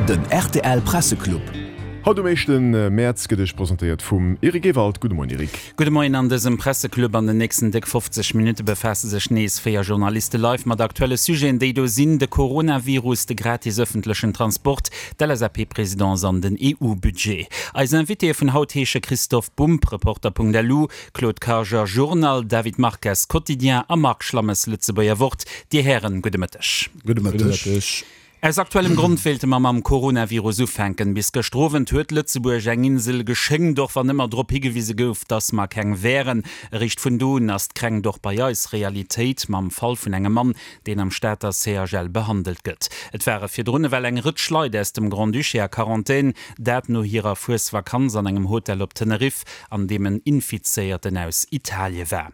Den rtl Presseclub. Haut um éischten Mäerz gëtt Iech presentéiert vum Eric Ewald. Gudde Moien Eric. Gudde Moien an dësem Presseclub. An den nächsten déck 50 Minutte befaasse sech nees 4 Journaliste live mat aktuelle Sujeten. Déi do sinn, de Coronavirus, de gratis ëffentlechen Transport, d'LSAP-Presidence an den EU-Budget. Eis Invitéë vun haut heesche Christophe Bumb, Reporter.lu, Claude Karger, Journal, David Marques, Quotidien, a Marc Schlammes, Lëtzebuerger Wort. Dir Hären, gudde Mëtteg. Gudde Mëtteg. Aus aktuellem Grond wéilte mer mam Coronavirus ufänken. Bis gëschter Owend huet Lëtzebuerg eng Insel geschéngt, och wann ëmmer drop higewise gouf, dass mer keng wären. Eréischt vun do un ass d'Kränkt och bei eis Realitéit, mam Fall vun engem Mann, deen am Stater CHL behandelt gëtt. Et ware virdrun ewell eng Rëtsch Leit aus dem Grand-Duché a Quarantän, dat no hirer Fuesvakanz an engem Hotel op Teneriff. an deem en Infizéierten aus Italie war.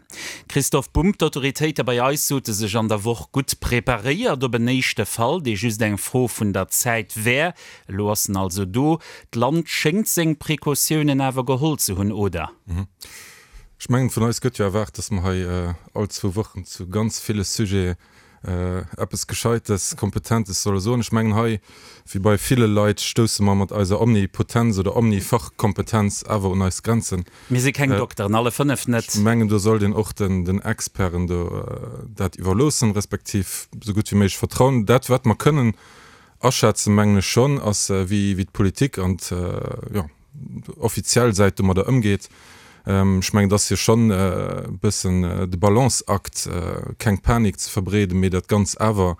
Christoph Bumb, D'autoritéite bei eis sote sech an der Woch gutt preparéiert op en éischte Fall, dee just eng Fro vun der Zäit wär. Elo ass en also do. D'Land schéngt seng Precautiounen awer geholl ze hunn, oder? Ech mengen, vun eis gëtt jo erwaart, datt mer hei all zwou Wochen zu ganz ville Sujete eppes Gescheites, Kompetentes solle soen. Ech mengen, hei, wéi bei ville Leit, stousse mer mat eiser Omnipotenz oder Omnifachkompetenz awer un eis Grenzen. Mir si keng Dokteren, alle 5 net. Ech mengen, do sollt een och den Experten do dat iwwerloossen, respektiv esou gutt wéi méiglech vertrauen. Dat, wat mer kënnen aschätzen, mengen ech schonn, ass, wéi d'Politik an, jo, offiziell Säit domadder ëmgeet. Ech mengen, et ass jo schonn e bëssen de Balanceakt, keng Panik ze verbreeden, mee dat Ganz awer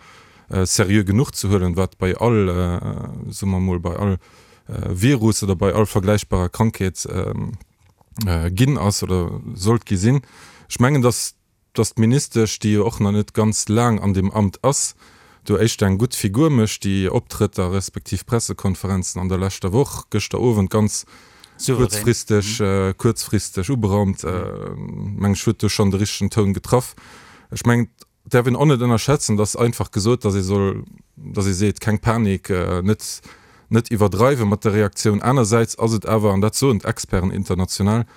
seriö genuch ze huelen, wat bei all, soe mer emol, bei all Virus oder bei all vergläichbarer Krankheet ginn ass oder sollt gi sinn. Ech mengen, datt dass d'Ministesch, déi jo och nach net ganz laang an deem Amt ass, do éischter eng gutt Figur mécht. Déi Optrëtter respektiv Pressekonferenzen an der leschter Woch, gëschter Owend ganz kuerzfristeg, kuerzfristeg uberaumt, meng ech, huet do schonn de richtegen Toun getraff. Ech mengen, et däerf een och net ënnerschätzen, dass einfach gesot, dass ee soll, dass ee seet, keng Panik, net, net iwwerdreiwe mat der Reaktioun. Anersäits ass et awer, an dat soen d'Experten international,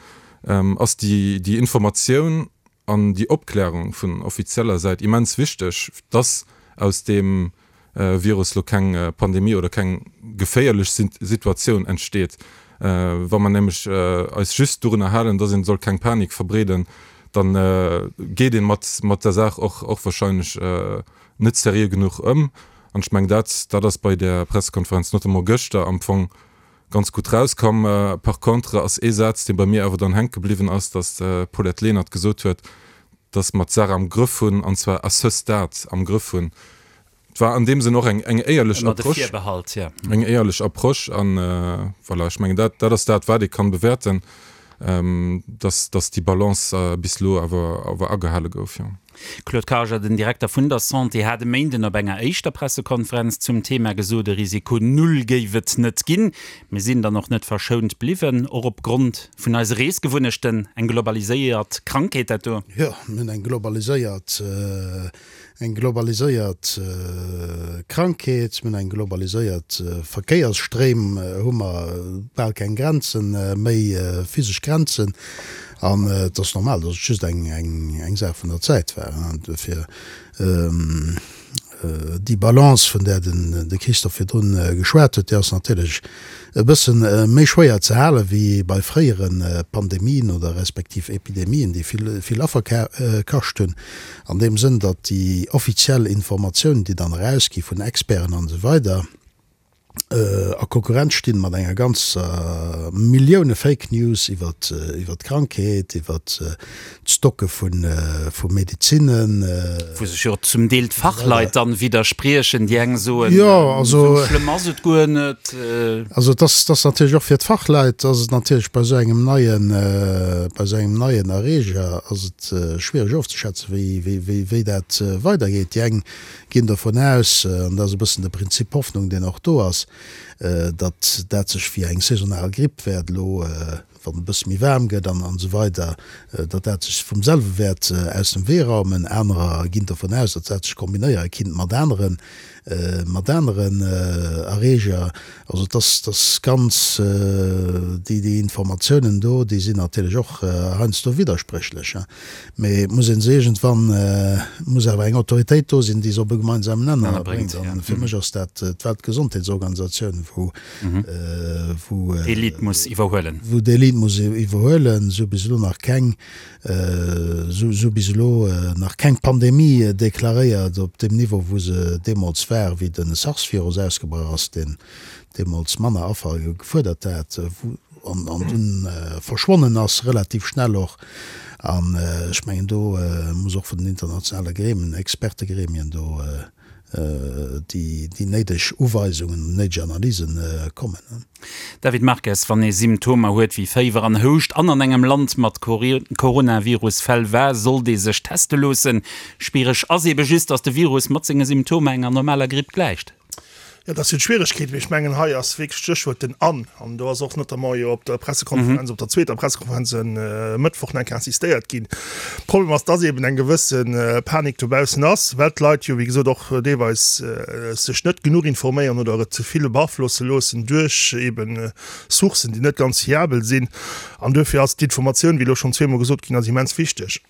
ass déi, déi Informatioun, an déi Opklärung vun offizieller Säit immens wichteg, dass aus deem Virus lo keng Pandemie oder keng geféierlech Situatioun entsteet. Wa mer nämlech eis just dorunner halen, dass een soll keng Panik verbreeden, da geet ee mat der Saach och och wahrscheinlech net seriö genuch ëm. An ech mengen, dat dat ass bei där Pressekonferenz notamment gëschter am Fong ganz gutt rauskomm. Par contre ass ee Saz, dee bei mir awer dann hänke bliwwen ass, datt d'Paulette Lenert gesot huet, datt mer d'Saach am Grëff hunn, an zwar à ce stade am Grëff hunn. Et war an deem Sënn och eng eng éierlech Ëmmer de Approche. Virbehalt, jo. Eng éierlech Approche an voilà, ech mengen dat dat ass dat, wat ee kann bewäerten, datt datt déi Balance bis elo awer awer agehale gouf, jo. Claude Karger, Den Direkter vun der Santé hat e Méinden op enger éischter Pressekonferenz zum Thema gesot, e Risiko Null géif et net ginn. Mir sinn dann och net verschount bliwwen, och op Grond vun eise Reesgewunnechten. Eng globaliséiert Krankheet dat do? Jo, mir hunn eng globaliséiert, eng globaliséiert Krankheet, mir hunn eng globaliséiert Verkéiersstréim, hu mer bal keng Grenzen méi, physesch Grenzen. An et ass normal, datt et just eng Saach vun der Zäit war. Duerfir déi Balance, vun där de Christophe virdrun geschwat huet, déi ass natierlech e bësse méi schwéier ze hale wéi bei fréiere Pandemien oder respektiv Epidemien, déi vill Affer kascht hunn. An deem Sënn, datt déi offiziell Informatiounen, déi dann erausgi vun Experten an esou weider, a Konkurrenz stinn mat enger ganzer Millioune Fake News iwwert iwwert d'Krankheet, iwwert d'Stocke vu vu Medizinnen. Wou sech jo zum Deel d'Fachleit dann widderspriechen, déi eng soen, esou schlëmm ass et guer net. Also et ass, et ass natierlech och fir d'Fachleit ass et natierlech bei esou engem neien, bei esou engem neien Erreeger ass et schwiereg ofzeschätzen, wéi wéi wéi dat weidergeet. Déi eng ginn dovun aus, an dat ass e bëssen de Prinzip Hoffnung, deen och do ass, datt dat sech wéi eng saisonal Gripp wäert elo. Wann et e bësse méi waarm gëtt an esou weider, datt dat sech vum selwe wäert aus dem Wee raumen. Anerer ginn dovun aus, datt dat sech kombinéiere kinnt mat aneren, mat aneren Erreeger. Also et ass, et ass ganz, déi, déi Informatiounen do, déi sinn natierlech och heiansdo widderspréchlech. Mee et muss ee se iergendwann, muss awer eng Autoritéit do sinn, déi se op e gemeinsamen Nenner bréngt. An fir mech ass dat d'Weltgesondheetsorganisatioun, wou, wou. D'Elite muss iwwerhuelen. Wou d'Elite muss iwwerhuelen. Se hu bis elo nach keng, se hu bis elo nach keng Pandemie deklaréiert op deem Niveau, wou se deemools war, wéi de SARS-Virus ausgebrach ass, deen deemools manner Affer gefuerdert hat, wou, an dunn verschwonnen ass, relativ schnell och. An ech mengen, do muss och vun den internationale Gremien, Expertegremien do déi néideg Uweisungen, déi néideg Analysen kommen. David Marques, Wann ee Symptomer huet wéi Féiwer an Houscht an an engem Land mat Coronavirus-Fäll war, sollt ee sech teste loossen. Schwiereg ass eebe just, datt de Virus mat senge Symptomer enger normaler Gripp gläicht. Jo, dat sinn d'Schwieregkeeten, mee ech mengen, hei ass wierklech d'Stéchwuert den an. An do ass och notamment jo op der Pressekonferenz, op der zweeter Pressekonferenz e Mëttwoch nach eng Kéier insistéiert ginn. Problem ass, dass eeben eng gewësse Panik dobaussen ass, well d'Leit jo, wéi gesot, och deelweis sech net genuch informéieren oder et ze vill beaflosse loossen duerch eebe Sourcen, déi net ganz fiabel sinn. An duerfir ass d'Informatioun, wéi elo schonn zweemol gesot ginn ass, immens wichteg.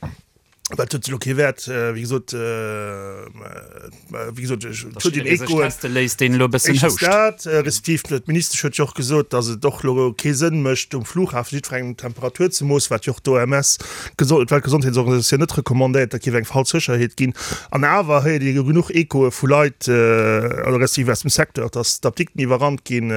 Well et huet elo kee Wäert, wéi gesot, wéi gesot, et huet een Echoen. Teste léisst, deen elo e bëssen houscht. Éischtens dat, respektiv d'Ministesch huet jo och gesot, datt et och elo kee Sënn mécht, um Flughafen jiddwerengem d'Temperatur ze moossen, wat jo och d'OMS, d'Weltgesondheetsorganisatioun, net recommandéiert, dat géif eng falsch Sécherheet ginn. An awer héiert ee jo genuch Echoe vu Leit, oder respektiv aus dem Secteur, datt d'Apdikten iwwerrannt ginn,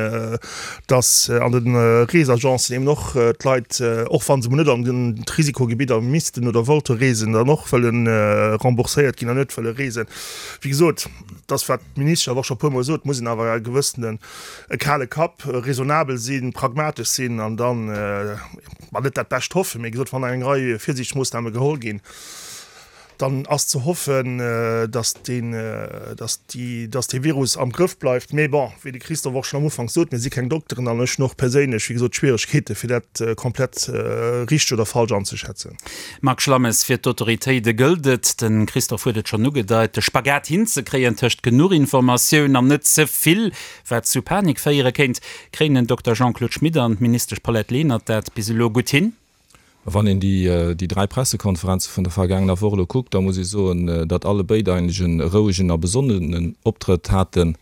dass an de Reesagencen eben och d'Leit, och wa se mol net an d'Risikogebidder missten oder wollte reesen, dann och wëlle rembourséiert ginn an net wëlle reesen. Wéi gesot, dass wat d'Ministesch awer och scho e puermol sot, muss een awer e gewëssenen e kale Kapp, raisonnabel sinn, pragmatesch sinn an dann, ma net dat Bescht hoffen, mee gesot, wann eng Rei Virsiichtsmoossname geholl ginn, Dann ass ze hoffen, dass deen, dass déi, dass dee Virus am Grëff bleift. Mee bon, wéi de Christophe och schonn am Ufank sot, mir si keng Dokteren an ech hunn och perséinlech, wéi gesot, Schwieregkeete fir dat komplett richteg oder falsch anzeschätzen. Marc Schlammes, Fir d'Autoritéite gëllt et, de Christophe huet et schonn ugedeit, de Spagat hinzekréien tëscht genuch Informatioun an net ze vill, wat zu Panik féiere kéint. Kréien den Dokter Jean-Claude Schmit an d'Ministesch Paulette Lenert dat bis elo gutt hin? Wann een déi 3 Pressekonferenze vun der vergaangener Woch elo kuckt, da muss ee soen, datt alle béid eigentlech e rouegen a besonnenen Optrëtt haten.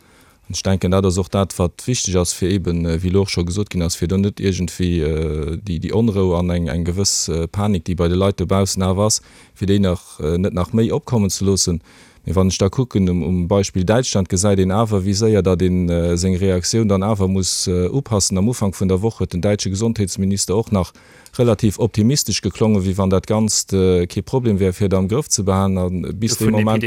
An ech denken, dat ass och dat, wat wichteg ass, fir eeben, wéi elo och scho gesot ginn ass, fir do net iergendwéi déi Onrou an eng gewëss Panik, déi bei de Leit dobaussen awer ass, fir déi nach net nach méi opkommen ze loossen. Mee wann ech da kucken, um Beispill Däitschland gesäit een awer, wéi séier datt ee seng Reaktioun dann awer muss upassen. Am Ufank vun der Woch huet den däitsche Gesondheetsminister och nach relativ optimistesch geklongen, wéi wann dat Ganzt kee Problem wär, fir et am Grëff ze behalen. A bis dee Moment,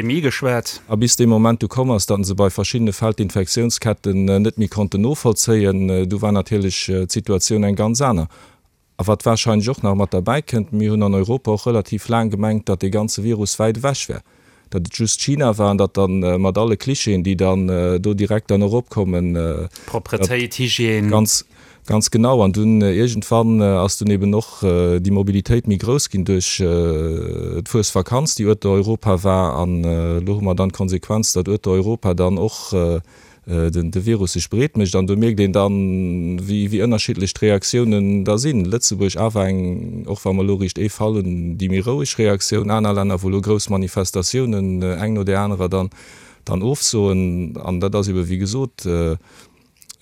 a bis dee Moment du komm ass, datt se bei verschiddene Fäll d'Infektiounsketten net méi konnten novollzéien, du war natierlech d'Situatioun eng ganz aner. A wat warscheinlech och nach mat derbäi kënnt, Mir hunn an Europa och relativ laang gemengt, datt dee ganze Virus wäit ewech wär, datt et just China war an datt dann mat alle Klischeeën, déi dann do direkt dann och opkommen, Propretéit, Hygiène. Ganz, ganz genau. An dunn iergendwann ass dunn eben och déi Mobilitéit méi grouss ginn duerch d'Fuesvakanz, déi ueter Europa war. An elo hu mer dann d'Konsequenz, datt ueter Europa dann och de Virus sech breet mécht an do mierkt een dann, wéi ënnerschiddlech d'Reaktiounen da sinn. Lëtzebuerg awer eng, och wa mer elo riicht ee Fall hunn, déi méi roueg Reaktioun, aner Länner, wou elo grouss Manifestatiounen eng no där anerer dann dann ofsoen. An dat ass ebe wéi gesot,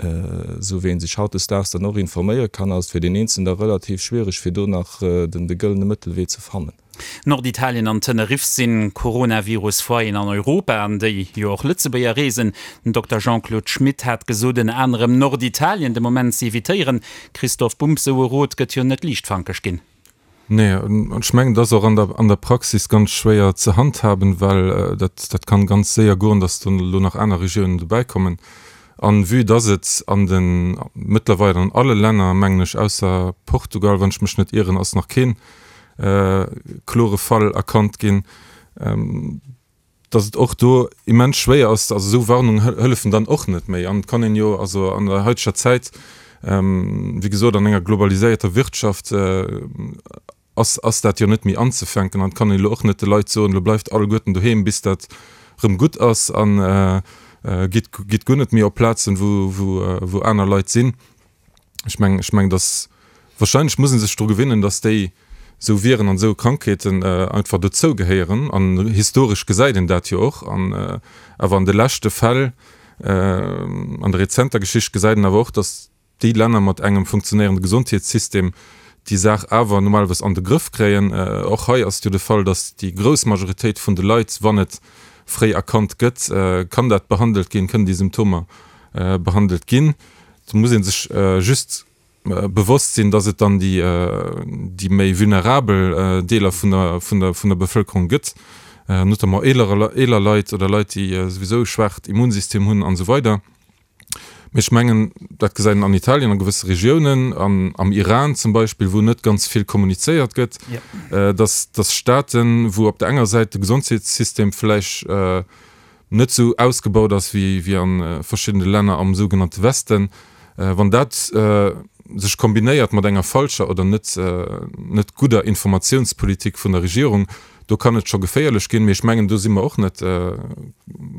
esou wéi ee sech hautdesdaags dann och informéiere kann, ass et fir deen Eenzelnen da relativ schwiereg, fir do nach de gëllene Mëttelwee ze fannen. Norditalien an Teneriff sinn Coronavirus-Foyeren an Europa, an déi jo och Lëtzebuerger reesen. Den Dokter Jean-Claude Schmit hat gesot, ënner anerem Norditalien de Moment ze evitéieren. Christoph Bumb, Sou e Rot gëtt jo net liichtfankeg ginn. Nee, an ech mengen, et ass och an der, an der Praxis ganz schwéier ze handhaben, well dat, dat kann ganz séier goen, dass do elo nach aner Regiounen dobäikommen. An vue dass et an den, mëttlerweil an alle Länner, mengen ech, ausser Portugal, wann ech mech net ieren, ass nach keen klore Fall erkannt ginn, dass et och do immens schwéier ass, also esou Warnungen hëllefen dann och net méi. An et kann een jo also an der haiteger Zäit. Wéi gesot, an enger globaliséierter Wirtschaft ass, ass dat jo net méi anzefänken an et kann een elo och net de Leit soen, elo bleift alleguerten doheem bis dat rëm gutt ass an gitt, gitt guer net méi op Plazen, wou, wou, wou aner Leit sinn. Ech mengen, ech mengen, dass wahrscheinlech muss ee sech dru gewinnen, dass déi esou Viren an esou Krankheeten einfach dozou gehéieren an historesch gesäit een dat jo och an awer an de leschte Fäll, an der rezenter Geschicht gesäit een awer och, dass déi Länner mat engem funktionéierende Gesondheetssystem déi Saach awer normalerweis an de Grëff kréien. Och hei ass et jo de Fall, dass déi grouss Majoritéit vun de Leit, wann et fréi erkannt gëtt, kann dat behandelt ginn, kënnen déi Symptomer behandelt ginn. Do muss ee sech just bewosst sinn, dass et dann déi, déi méi vulnerabel Deeler vun der, vun der, vun der Bevëlkerung gëtt, notamment eeler, eeler Leit oder Leit, déi souwisou e schwaacht Immunsystem hunn an esou weider. Mee ech mengen, dat gesäit een an Italien a gewësse Regiounen, an am Iran zum Beispill, wou net ganz vill kommunizéiert gëtt, dass, dass Staaten, wou op der enger Säit de Gesondheetssystem vläicht net esou ausgebaut ass wéi, wéi a verschiddene Länner am sougenannte Westen, wann dat sech kombinéiert mat enger falscher oder net, net gudder Informatiounspolitik vun der Regierung, Do kann et scho geféierlech ginn, mee ech mengen, do si mer och net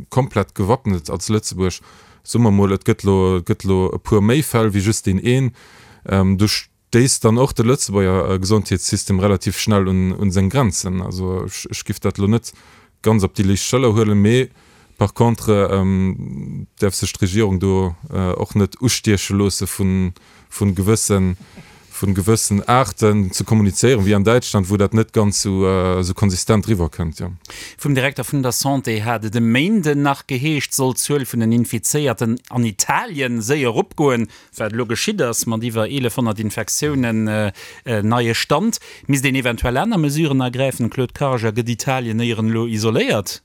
komplett gewappnet als Lëtzebuerg. Soe mer emol, et gëtt elo, et gëtt elo e puer méi Fäll wéi just deen een. Do stéisst dann och de Lëtzebuerger Gesondheetssystem relativ schnell un, un seng Grenzen. Also ech, ech giff dat elo net ganz op déi liicht Schëller huelen, mee par contre däerf sech d'Regierung do och net ustieche loosse vun, vun gewëssen, vun gewëssen Aarten ze kommunizéieren, wéi an Däitschland, wou dat net ganz esou, esou konsistent eriwwer kënnt, jo. Vum Direkter vun der Santé hat et e Méinden nach geheescht, soll d'Zuel vun den Infizéierten an Italien séier eropgoen, wat elo geschitt ass mat iwwer 1.100 Infektiounen, neie Stand. Misst een eventuell aner Mesuren ergräifen? Claude Karger, Gëtt Italien éieren elo isoléiert?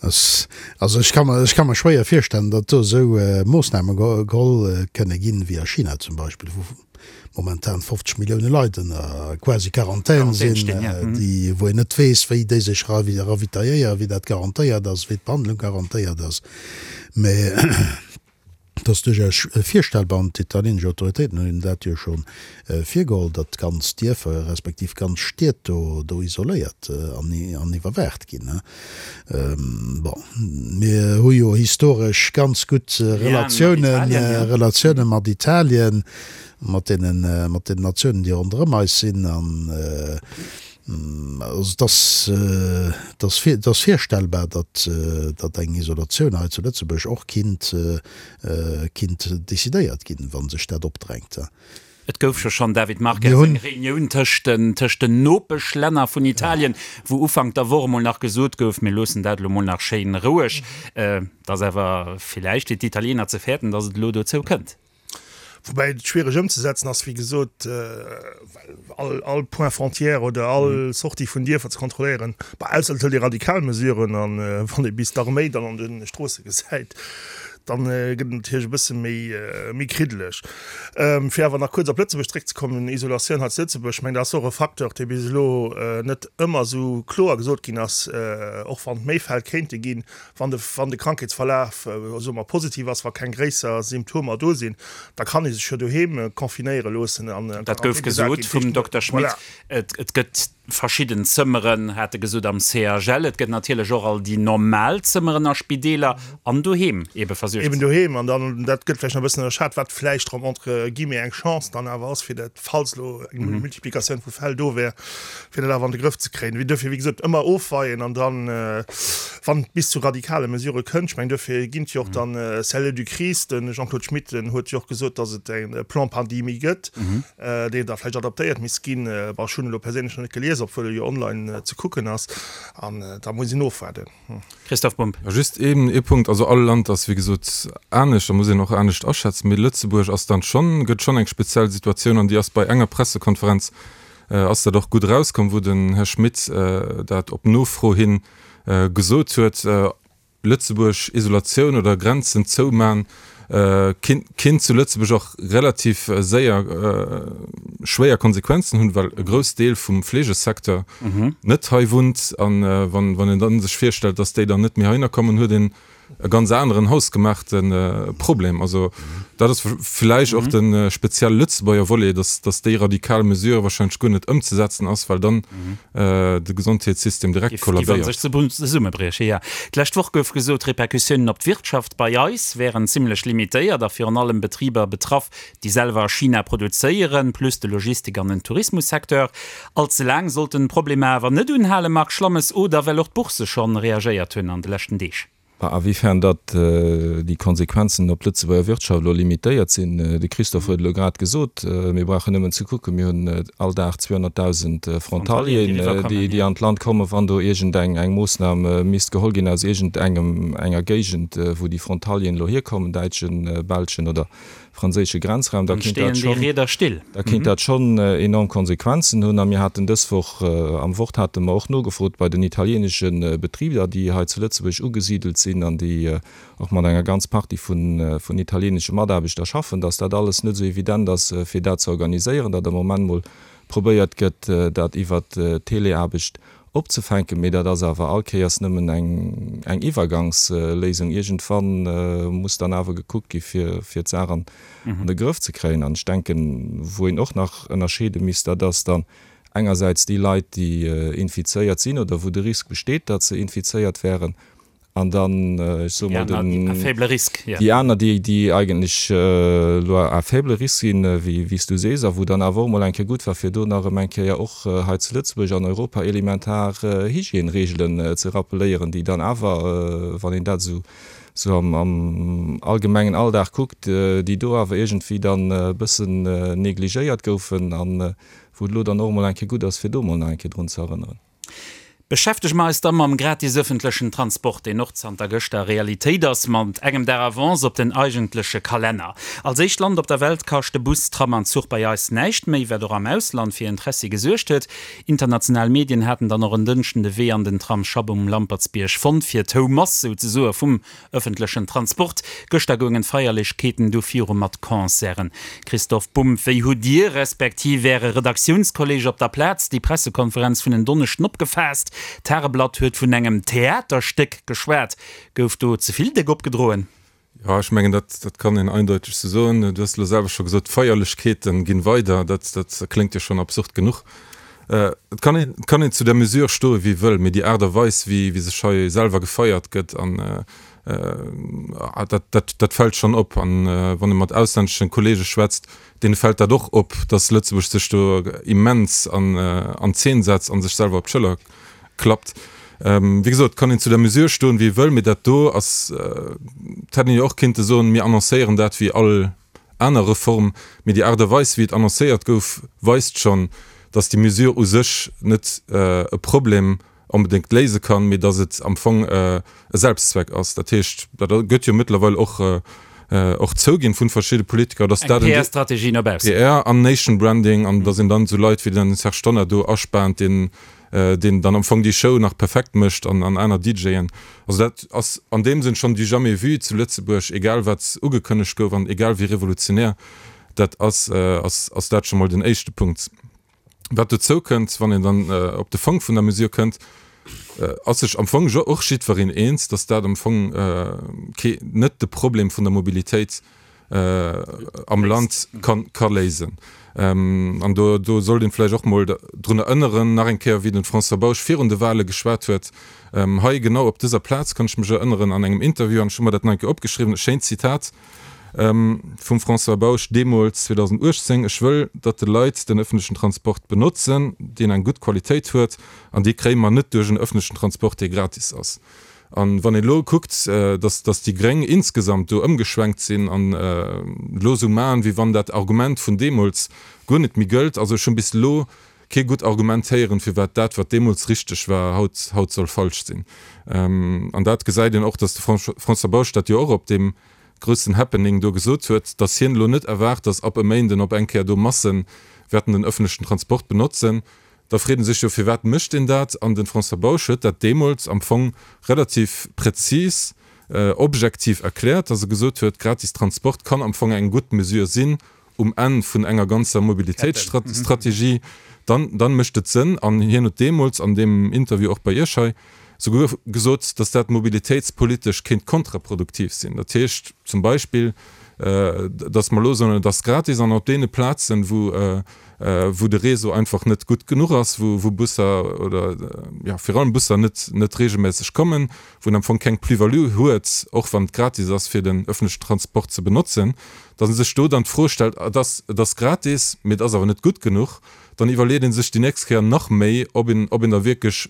Also ech ka mer, ech ka mer schwéier virstellen, datt do esou Moossname geholl kënne ginn, wéi a China zum Beispill, wou momentan 50 Millioune Leit ënner quasi Quarantän sinn, déi, wou een net weess, wéi déi sech ravitailléieren, wéi dat garantéiert ass, wéi d'Behandlung garantéiert ass. Mä Et ass duerchaus virstellbar, an d'italieenesch Autoritéiten hunn dat jo scho virgeholl, datt ganz Dierfer respektiv ganz Stied do do isoléiert an iwwerwaacht ginn. Bon, mir hu jo historesch ganz gutt Relatiounen, Relatioune mat Italien, mat deenen, mat den Natiounen, déi ronderëm eis sinn. An Also et ass, et ass, et ass virstellbar, datt, datt eng Isolatioun hei zu Lëtzebuerg och kinnt, kinnt decidéiert ginn, wa sech dat opdrängt. Et gouf jo schonn, David Marques, eng Reunioun tëscht den, tëscht den Nopeschlänner vun Italien, wou Ufank der Woch emol nach gesot gouf, mir loossen dat elo mol nach schéin roueg. Et ass awer villäicht fir d'Italiener ze fäerten, datt et elo dozou kënnt. Woubäi et schwiereg ëmzesetzen ass, wéi gesot, well all, all Point frontière oder all Sortie vun Dierfer ze kontrolléieren, bah, ausser et hëlt ee radikal Mesuren an wann ee bis d'Arméi dann an de Stroosse gesäit, dann gëtt et natierlech e bësse méi, méi kriddeleg. Fir awer nach kuerz op Lëtzebuerg zréckzekommen, Isolatioun hei zu Lëtzebuerg, ech mengen, dat ass och e Facteur, dee bis elo net ëmmer esou kloer gesot ginn ass, och wann et méi Fäll kéinte ginn, Wann de, wann de Krankheetsverlaf, soe mer, positiv ass, wa keng gréisser Symptomer do sinn, da kann ee sech jo doheem confinéiere loossen an en Dat gouf Quarantän gesat gesot ginn. vum Dokter Schmit. Voilà. Et, et gëtt verschidden Zëmmeren, hat e gesot, am CHL. Et gëtt natierlech och all déi normal Zëmmeren a Spideeler an doheem eebe versuergt Eben doheem. An dann, dat gëtt vläicht nach e bëssen ënnerschat, wat vläicht erëm entre guillemets eng Chance dann awer ass, fir dat, falls elo eng Multiplikatioun vu Fäll do wär, fir dat awer an de Grëff ze kréien. Wéi duerfir, wéi gesot, ëmmer ofweien an dann, wann et bis zu radikale Mesurë kënnt, ech mengen, duerfir ginn et jo och dann Cellule de crise, de Jean-Claude Schmit, den huet jo och gesot, datt et e Plan pandémie gëtt, deen da vläicht adaptéiert misst ginn. Bon, ech hunn e lo perséinlech nach net gelies, obwuel e jo online ze kucken ass, an da muss een ofwaarden. Christoph Bumb. Just een ee Punkt, also all Land ass wéi gesot anescht, da muss een och anescht aschätzen, mee Lëtzebuerg ass dann schonn, gëtt schonn eng speziell Situatioun an déi ass bei enger Pressekonferenz ass dat och gutt erauskomm, wou den Här Schmit dat op Nofro hi gesot huet, Lëtzebuerg Isolatioun oder Grenzen zouman kinnt zu Lëtzebuerg och relativ séier schwéier Konsequenzen hunn, well e grouss Deel vum Fleegesecteur net hei wunnt. A wann een da sech virstellt, datt déi dann net méi heihinner kommen, huet een. e ganz aneren hausgemaachte Problem. Also dat ass villäicht och de speziell Lëtzebuerger Volet, dass, dass déi radikal Mesure wahrscheinlech guer net ëmzesetzen ass, well dann de Gesondheetssystem direkt kollabéiert. Géif an sech zesummebrieche, jo. D'lescht Woch gouf gesot, d'Repercussiounen op d'Wirtschaft bei eis wären zimmlech limitéiert a virun allem Betriber betraff, déi selwer a China produzéieren, plus de Logistik an den Tourismussecteur. All ze laang sollten d'Problemer awer net unhalen, Marc Schlammes, oder well och d'Bourse schonn reagéiert hunn an de leschten Deeg. A wéifern datt déi Konsequenzen op d'Lëtzebuerger Wirtschaft elo limitéiert sinn, de Christophe huet elo grad gesot, mir brauchen nëmmen ze kucken, mir hunn all Dag 200.000 Frontalieren, déi an d'Land kommen. Wann do iergendeng eng Moossnam misst geholl ginn aus iergendengem enger Géigend, wou déi Frontalieren elo hierkommen, däitschen, belschen oder franséische Grenzraum, da kéint dat schonn, da kéint dat schonn enorm Konsequenzen hunn. A mir haten dës Woch am Wort hate mer och nogefrot bei den italieenesche Betriber, déi hei zu Lëtzebuerg ugesidelt sinn an déi och mat enger ganz Partie vun vun italieenesche Mataarbechter schaffen, datt dat alles net esou evident ass, fir dat ze organiséieren, datt am Moment mol probéiert gëtt, dat iwwert Teleaarbecht opzefänken, mee dat ass awer all Kéiers nëmmen eng eng Iwwergangsléisung. Iergendwann muss dann awer gekuckt gi fir fir d'Saach an de Grëff ze kréien. An ech denken, wou een och nach ënnerscheede misst, dat ass dann engersäits déi Leit, déi infizéiert sinn oder wou de Risk besteet, datt se infizéiert wären, An dann, ech soe mol, den, déi aner, déi, déi eigentlech elo à faible risque sinn, wéi, wéi s du sees, a wou dann awer och emol eng Kéier gutt war, fir do nach erëm eng Kéier och hei zu Lëtzebuerg an Europa elementar Hygièneregelen ze rappeléieren, déi dann awer, wann een dat esou, esou am, am allgemengen Alldag kuckt, déi do awer iergendwéi dann e bëssen negligéiert goufen a wou et elo dann och emol eng Kéier gutt ass, fir do emol nach eng Kéier drun ze erënneren. Beschäftege mer eis da mam gratis ëffentlechen Transport, deen och zanter gëschter Realitéit ass, mat engem Dag Avance op den eigentleche Kalenner. Als éischt Land op der Welt kascht de Bus, Tram an Zuch bei eis näischt méi, wat och am Ausland fir Interessi gesuergt huet. International Medien haten dann och en Dënschden de Wee an den Tramsschapp um Lampertsbierg fonnt, fir d'Houmass souzesoe vum Ëffentlechen Transport. Gëschter goungen d'Feierlechkeeten du viru mat Concerten. Christoph Bumb, wéi hutt Dir, respektiv Äre Redaktiounskolleeg op der Plaz, déi Pressekonferenz vun en Donneschden opgefaasst? D'Tageblatt huet vun engem Theaterstéck geschwat. Gouf do ze vill déck opgedroen? Jo, ech mengen, dat, dat kann een eindeuteg sou soen. Du hues elo selwer scho gesot, d'Feierlechkeete ginn weider. Dat, dat kléngt jo schonn absurd genuch. Et kann een, et kann een zu der Mesure stoe wéi wëll, mee déi Aart a Weis wéi wéi sech hei selwer gefeiert gëtt an dat dat dat fält schonn op. An wann ee mat auslänneschen Kollege schwätzt, deene fält dat och op, datt Lëtzebuerg sech do immens an an Zeen setzt an sech selwer op d'Schëller klappt. Wéi gesot, kann een zu der Mesure stoen wéi ee wëll, mee dat do ass, et hätt een jo och kinnte soen, mir annoncéieren dat wéi all aner Reform, mee déi Aart a Weis, wéi et annoncéiert gouf, weist schonn, dass déi Mesure u sech net e Problem onbedéngt léise kann, mee dass et am Fong e Selbstzweck ass. Dat heescht, dat gëtt jo mëttlerweil och och zouginn vu verschidde Politiker, dass dat en PR-Strategie no baussen. PR an Nation Branding an dass een dann esou Leit wéi den Serge Tonnar do aspaant, deen deen dann am Fong déi Show nach perfekt mécht an an aner DJen. Also dat ass an deem Sënn schonn du jamais vu zu Lëtzebuerg, egal wat ugekënnegt gouf an egal wéi revolutionär dat ass, ass ass dat scho mol den éischte Punkt. Wat dozou kënnt, wann een dann op de Fong vun der Mesure kënnt, ass sech am Fong jo och jiddwereen eens, datt dat am Fong kee net de Problem vun der Mobilitéit am Land ka léisen. An do do sollt een vläicht och mol drun erënneren, nach eng Kéier, wéi den François Bausch virun de Wahle geschwat huet, hei genau op dëser Plaz, kann ech mech erënneren, an engem Interview, an ech hu mer dat nach eng Kéier opgeschriwwen, e schéint Zitat vum François Bausch deemools 2018, Ech wëll, datt de Leit den öffentlechen Transport benotzen, deen eng gutt Qualitéit huet, an dee kréie mer net duerch en öffentlechen Transport, dee gratis ass. A wann een elo kuckt, datt datt déi Gréng insgesamt do ëmgeschwenkt sinn an elo esou maachen, wéi wann dat Argument vun deemools guer net méi gëllt, also ech hunn bis elo kee gutt Argument héieren, firwat dat, wat deemools richteg war, haut haut soll falsch sinn. An dat gesäit een och, datt de François Bausch dat jo och op deem groussen Happening do gesot huet, datt hien elo net erwaart, datt ab e Méinden op eng Kéier do Masse wäerten den öffentlechen Transport benotzen. Da freet en sech jo, firwat mécht een dat? An de François Bausch huet dat deemools am Fong relativ präzis, objektiv erkläert, dass e gesot huet, gratis Transport kann am Fong eng gutt Mesure sinn um Enn vun enger ganzer Mobilitéitsstrategie. Dann, dann mécht et Sënn. An hien huet deemools an deem Interview och bei Iech hei. Souguer gesot, datt dat mobilitéitspolitesch kéint kontraproduktiv sinn. Dat heescht zum Beispill, datt mer elo soen, et ass gratis an op deene Plazen, wou wou de Réseau einfach net gutt genuch ass, wou wou Busser oder jo virun allem Busser net net regelméisseg kommen, wou en am Fong keng Plus-value huet, och wann et gratis ass fir den öffentlechen Transport ze benotzen, datt ee sech do dann d'Fro stellt, et ass et ass gratis, mee et ass awer net gutt genuch, dann iwwerleet ee sech déi nächst Kéier nach méi, ob een ob een da wierklech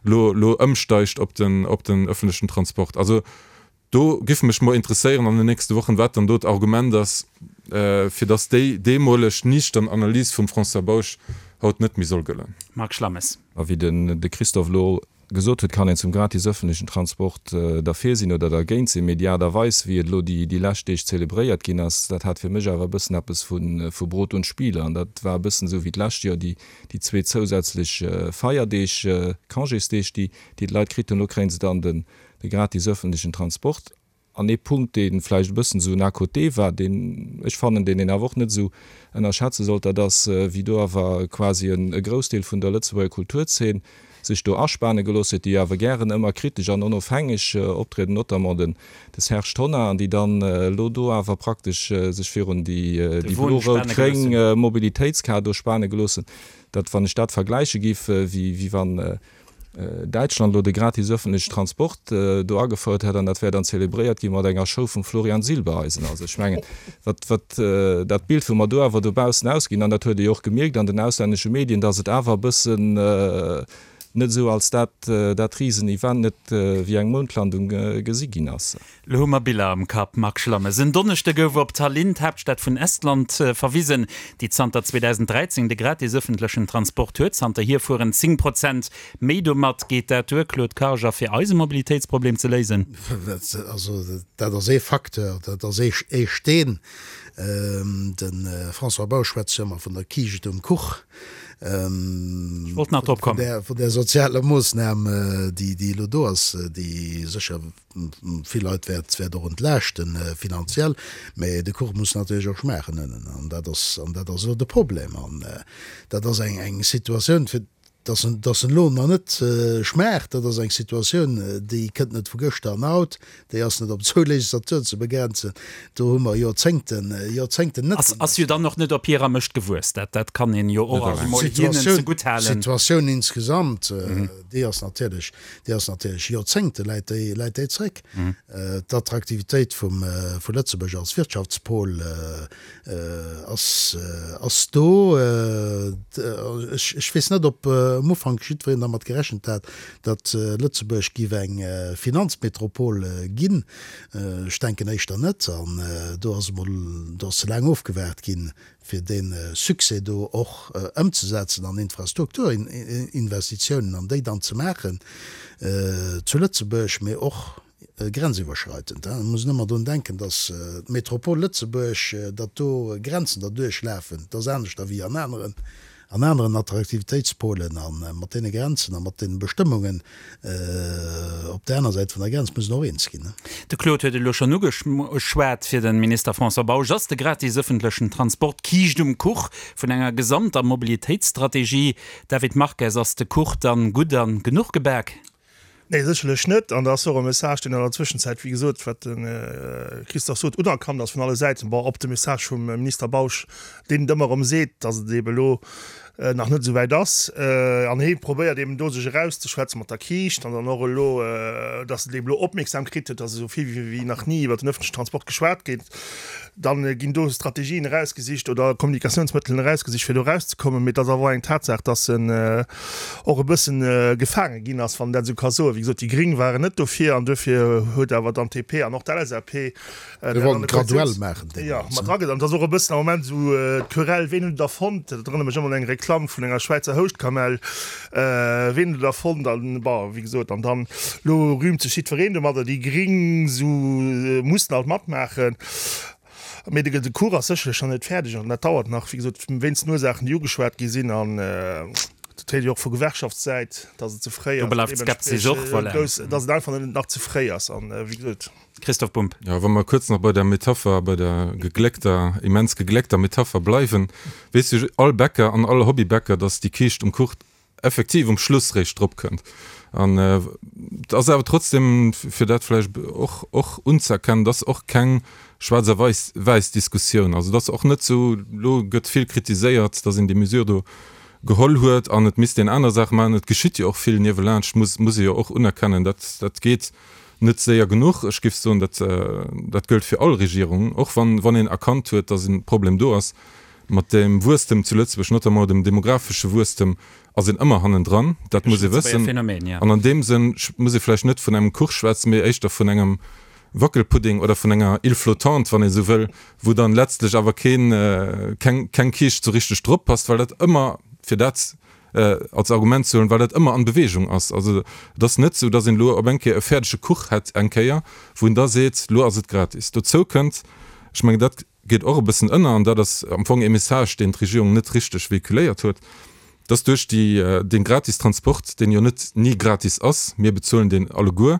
lo lo ëmsteigt op den op den öffentlechen Transport. Also do giff mech mol interesséieren an den nächste Wochen, wat dann do d'Argument ass, fir dass déi deemoleg niichtern Analys vum François Bausch haut net méi soll gëllen. Marc Schlammes. A wéi den de Christophe elo gesot huet, kann een zum gratis öffentlechen Transport derfir sinn oder dergéint sinn, mee déi Aart a Weis, wéi et elo déi déi lescht Deeg zelebréiert ginn ass, dat hat fir mech awer e bëssen eppes vu vu Brot und Spiele. An dat war e bëssen esou wéi d'lescht Joer déi déi zwee zousätzlech Feierdeeg, Congésdeeg, déi déi d'Leit kritt hunn. Elo kréie se dann den de gratis öffentlechen Transport. An ee Punkt, dee vläicht e bëssen esou en à côté war, deen ech fannen, deen een awer och net esou ënnerschätze sollt, dat ass, wéi do awer quasi e Groussdeel vun der Lëtzebuerger Kulturzeen sech do aspane gelooss huet, déi jo awer gären ëmmer kritesch an onofhängeg optrieden, notamment den de Serge Tonnar, an déi dann elo do awer praktesch sech virun déi blo-rout-gréng Mobilitéitskaart do spane gelooss hunn. Dat, wann ech dat vergläiche géif, wéi wann Däitschland elo de gratis ëffentlechen Transport do agefouert hätt an dat wär dann zelebréiert gi mat enger Show vum Florian Silbereisen. Also ech mengen, wat, wat dat Bild, wou mer do awer dobaussen ausginn, an dat huet ee jo och gemierkt an den auslännesche Medien, datt et awer e bëssen net esou als dat, dat Risenevent, net wéi eng Moundlandung gesi ginn ass. Lo hu mer Biller am Kapp, Marc Schlammes. En Donneschde gouf op Tallinn, d'Haaptstad vun Estland, verwisen, déi zanter 2013 de gratis ëffentlechen Transport huet. Zanterhier fueren 10 Prozent méi domat. Geet dat duer, Claude Karger, fir eise Mobilitéitsproblem ze léisen? Also dat ass ee Facteur, dat ass ee Steen. De François Bausch schwätzt jo ëmmer vun der Kiischt um Kuch. Ech wollt nach drop kommen. Vun där sozialer Moossnam, déi elo do ass, déi sécher Vill Leit wäert wäert och entlaaschten finanziell, mä de Kuch muss natierlech och schmaachen ënnen an dat ass an dat ass elo de Problem an dat ass eng eng Situatioun fir dass en dass en elo nach net schmaacht, dat ass eng Situatioun déi kënnt net vu gëschter an haut, déi ass net op zwou Legislaturen ze begrenzen, do hu mer Joerzéngten Joerzéngten net. Ass ass jo dann och net op hirer Mëscht gewuess, dat dat kann een jo och alt emol hinnen zegutt halen. D'Situatioun insgesamt, déi ass natierlech Déi ass natierlech Joerzéngte läit déi, läit déi zréck. D'Attraktivitéit vum, vu Lëtzebuerg als Wirtschaftspol ass, ass do. Ech, ech weess net, ob um Ufank jiddwereen dermat gerechent hat, datt Lëtzebuerg giff eng Finanzmetropol ginn. Ech denken éischter net. An do ass emol, do ass ze laang ofgewaart ginn, fir dee Succès do och ëmzesetzen an Infrastrukturinvestitiounen an déi dann ze maachen zu Lëtzebuerg, mee och grenziwwerschreitend. Et muss een ëmmer drun denken, datt d'Metropol Lëtzebuerg, datt do Grenzen derduerch lafen, dat ass aneschter wéi an aneren, an aneren Attraktivitéitspolen. A mat deene Grenzen a mat deene Bestëmmungen op där aner Säit vun der Grenz muss en och eens ginn. De Claude huet et elo schonn ugeschwat, Fir de Minister François Bausch ass de gratis ëffentlechen Transport d'Kiischt um Kuch vun enger gesamter Mobilitéitsstrategie. David Marques, Ass de Kuch dann gutt an genuch gebak? Nee, sécherlech net. An dat ass och e Message, deen an der Zwëschenzäit, wéi gesot, wat de Christophe sot, unerkannt ass vun alle Säiten. Bon, ob de Message vum Minister Bausch, deen et ëmmer erëm seet, datt et eebe elo nach net esou wäit ass, an hie probéiert eeben do sech erauszeschwätzen mat der Kiischt an dann och elo, datt et eeben elo Opmierksam kritt huet, datt esou vill wéi nach ni iwwert den öffentlichen Transport geschwat gétt, dann ginn do Strategien erausgesicht oder Kommunikationsmëttelen erausgesicht, fir do erauszekommen. Mee et ass awer och eng Tatsaach, datt en och e bëssen gefaange ginn ass, wann een dat esou ka soen. Wéi gesot, déi Gring waren net dofir an duerfir huet awer dann d'DP an och d'LSAP Mir wollten et graduell maachen deemools. Jo, mat drageet. An et ass och e bëssen am Moment esou d'Querelle, ween huet et erfonnt? Dat erënnert mech ëmmer un eng Reklamm vun enger Schwäizer Houschtkamell. Ween huet et erfonnt? An bon, wéi gesot, an dann elo rühmt sech jiddwereen domadder. Déi Gring esou mussen alt matmaachen. Mee de Kuch ass sécherlech nach net fäerdeg an dat dauert nach, wéi gesot, wéinst den Ursaachen, déi ugeschwat gi sinn. An dat héiert ee jo och vu Gewerkschaftssäit, datt et ze fréi ass. Do bleift d'Skepsis och, voilà. Datt et einfach nach ze fréi ass. An wéi gesot. Christoph Bumb. Jo, wa mer kuerz nach bei der Metapher, bei der gegléckter, immens gegléckter Metapher bleiwen, weess jo all Bäcker an all Hobbybäcker, dass déi Kiischt um Kuch. effektiv um Schluss réischt drop kënnt. An et ass awer trotzdem, fir dat vläicht och och unzëerkennen, et ass och keng schwaarz a weis wäiss Diskussioun. Also et ass och net esou, elo gëtt vill kritiséiert, datt een déi Mesure do geholl huet an et misst een aner Saache maachen. Et geschitt jo och vill niewelaanscht, muss muss ee jo och unerkennen. Dat dat geet net séier genuch. Ech géif soen, dat dat gëllt fir all Regierung, och wann wann een erkannt huet, datt e Problem do ass. Mat dem Wuesstem zu Lëtzebuerg, notamment dem demografesche Wuesstem, ass een ëmmer hannendran. Dat muss ee wëssen. An an deem Sënn muss ee vläicht net vun engem Kuch schwätzen, mee éischter vun engem Wackelpudding oder vun enger Île flottante, wann ee sou wëll, wou dann letztlech awer keen, keng, keng Kiischt sou richteg drop passt, well dat ëmmer, fir dat als Argument ze huelen, well dat ëmmer an Bewegung ass. Also et ass net sou, dass een elo op eng Kéier e fäerdege Kuch hätt eng Kéier, wou een da seet, elo ass et gratis. Dozou kënnt, ech mengen dat geet och e bëssen ënner, an dat ass am Fong ee Message, deen d'Regierung net richteg véhiculéiert huet, dass duerch déi, dee gratis Transport, deen jo net ni gratis ass, mir bezuelen deen alleguer,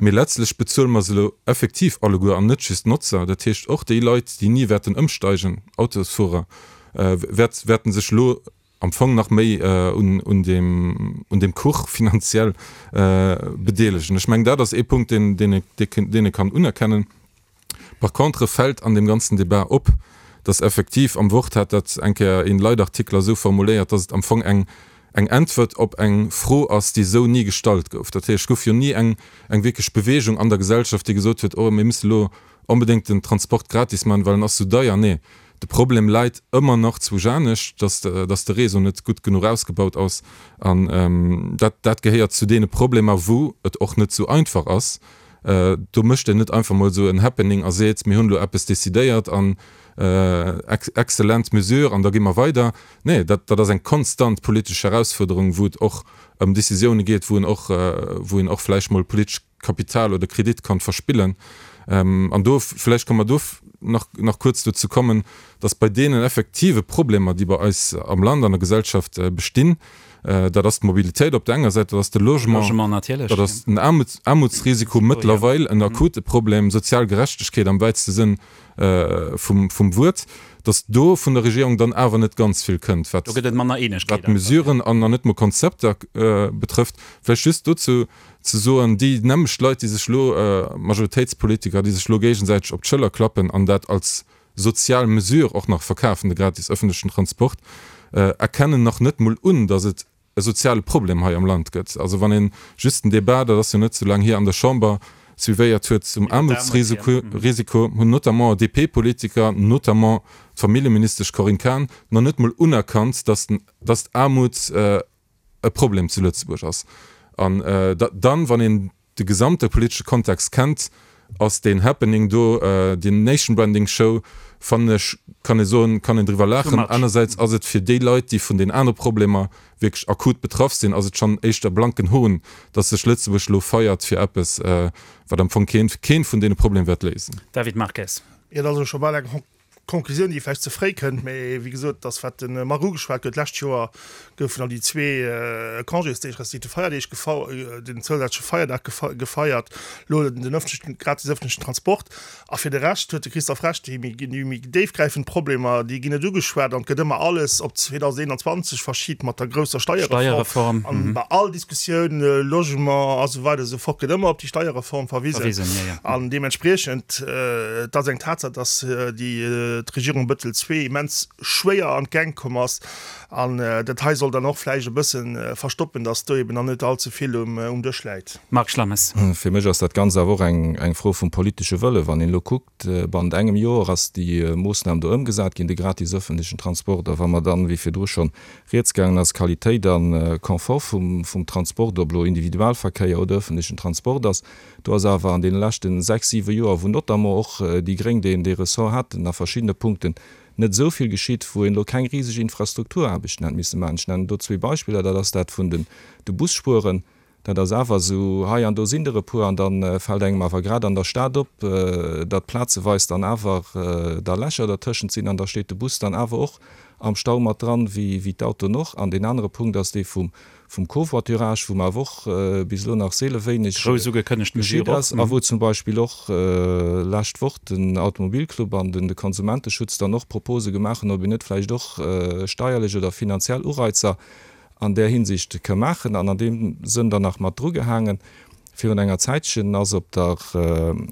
mee letztlech bezuele mer se elo effektiv alleguer an net just d'Notzer, dat heescht och déi Leit, déi ni wäerten ëmsteigen, Autosfuerer, wäert, wäerten sech elo am Fong nach méi un, un deem, un deem Kuch finanziell bedeelegen. Ech mengen, dat ass ee Punkt, deen, deen ee, deen ee kann unerkennen. Par contre fält an deem ganzen Débat op, dass effektiv, am Wort hat dat eng Kéier een Leitartikler esou formuléiert, dass et am Fong eng eng Äntwert op eng Fro ass, déi esou ni gestallt gouf. Dat heescht, et gouf jo ni eng eng wierklech Bewegung an der Gesellschaft, déi gesot huet, oh mir müssen elo onbedéngt den Transport gratis maachen, well en ass esou deier. Nee, de Problem läit ëmmer nach zwousch anescht, dass dass de Réseau net gutt genuch ausgebaut ass. An dat dat gehéiert zu deene Problemer, wou et och net esou einfach ass, Do mécht een net einfach mol esou en Happening a seet, mir hunn elo eppes decidéiert an excellent Mesure an da gi mer weider. Nee, dat, dat ass eng konstant politesch Erausfuerderung, wou et och ëm Décisioune geet, wou een och, wou een och vläicht mol politesch Kapital oder Kredit kann verspillen. An do, vläicht ka mer do nach, nach kuerz dozou kommen, dass bei deenen effektive Problemer, déi bei eis am Land, an der Gesellschaft bestinn, Dat ass d'Mobilitéit op der enger Säit, dat ass de Logement, dat ass den Aarmutsrisiko, mëttlerweil en akute Problem, sozial Gerechtegkeet am wäitste Sënn vum Wuert, datt do vun der Regierung dann awer net ganz vill kënnt, wat d'Mesuren an net mol Konzepter betrëfft. Vläicht just dozou ze soen, déi nämmlecht Leit, déi sech elo, Majoritéitspolitiker, déi sech elo géigesäiteg op d'Schëller klappen an dat als sozial Mesure och nach verkafen, de gratis ëffentlechen Transport, erkennen nach net mol un, datt et e soziale Problem hei am Land gëtt. Also wann ee just den Débat, dat ass jo net sou laang hier, an der Chamber suivéiert huet zum Aarmutsrisiko, hunn notamment DP-Politiker, notamment d'Familljeministesch Corinne Cahen, nach net mol unerkannt, datt datt Aarmut e Problem zu Lëtzebuerg ass. An dann, wann een de gesamte politesche Kontext kennt, ass deen Happening do, déi Nation Branding Show, fannen ech, kann ee soen, kann een driwwer laachen. Anersäits ass et fir déi Leit, déi vun den anere Problemer wierklech akut betraff sinn, ass et schonn éischter blanken Hohn, datt sech Lëtzebuerg elo feiert fir eppes, wat am Fong keen, keen vun deene Problemer wäert léisen. David Marques. Jo, dat ass elo scho bal eng Conclusioun, déi vläicht ze fréi kënnt, mä wéi gesot, dass wat de Marc ugeschwat huet, d'lescht Joer goufen dann déi zwee Congésdeeg respektiv de Feierdeeg den zousätzleche Feierdag gefeiert, elo den ëffentlechen, gratis ëffentlechen Transport. A fir de Rescht huet de Christophe Recht, déi méi, déi méi déifgräifend Problemer, déi ginn net ugeschwat an et gëtt ëmmer alles op 2021 verschibt mat der grousser Steierreform. An bei all Diskussioun, Logement a sou weider esou fort, gëtt ëmmer op déi Steierreform verwisen. An deementspriechend, et ass eng Tatsaach, dass déi d'Regierung Bettel ii immens schwéier an d'Gäng komm ass. An dat hei soll dann och vläicht e bësse verstoppen, dass do eben nach net all ze vill um Dësch läit. Marc Schlammes. Fir mech ass dat Ganzt awer och eng Fro vum politesche Wëllen. Wann een elo kuckt, bannent engem Joer ass déi Moossnam do ëmgesat ginn, de gratis ëffentlechen Transport. A wa mer dann, wéi virdru schonn rieds gaangen ass, Qualitéit a Confort vum Transport, ob elo Individualverkéier oder ëffentlechen Transport ass, Do ass awer an deene leschte sechs, siwe Joer, wou notamment och déi Gréng deen dee Ressort haten, a verschiddene Punkten net esou vill geschitt, wou een elo keng riseg Infrastrukturaarbechten hätt misse maachen. Ech nennen do zwee Beispiller, dat ass dat vun den de Busspueren, dat ass awer esou, hei an do sinn der e puer, an da fält engem awer grad an der Stad op, datt plazeweis dann awer da Lächer dertëschent sinn an da steet de Bus dann awer och am Stau mat dran, wéi d'Autoen och. An deen anere Punkt ass dee vum vum Covoiturage, wou mer awer och bis elo nach seele wéineg Grouss ugekënnegt geschitt Mesure ass a wou zum Beispill och lescht Woch den Automobilclub an den de Konsumenteschutz dann och Propose gemaach hunn, ob een net vläicht och steierlech oder finanziell Ureizer. an där Hinsicht ka maachen. An an deem Sënn dann nach mat drugehaangen, Virun enger Zäitchen ass op der,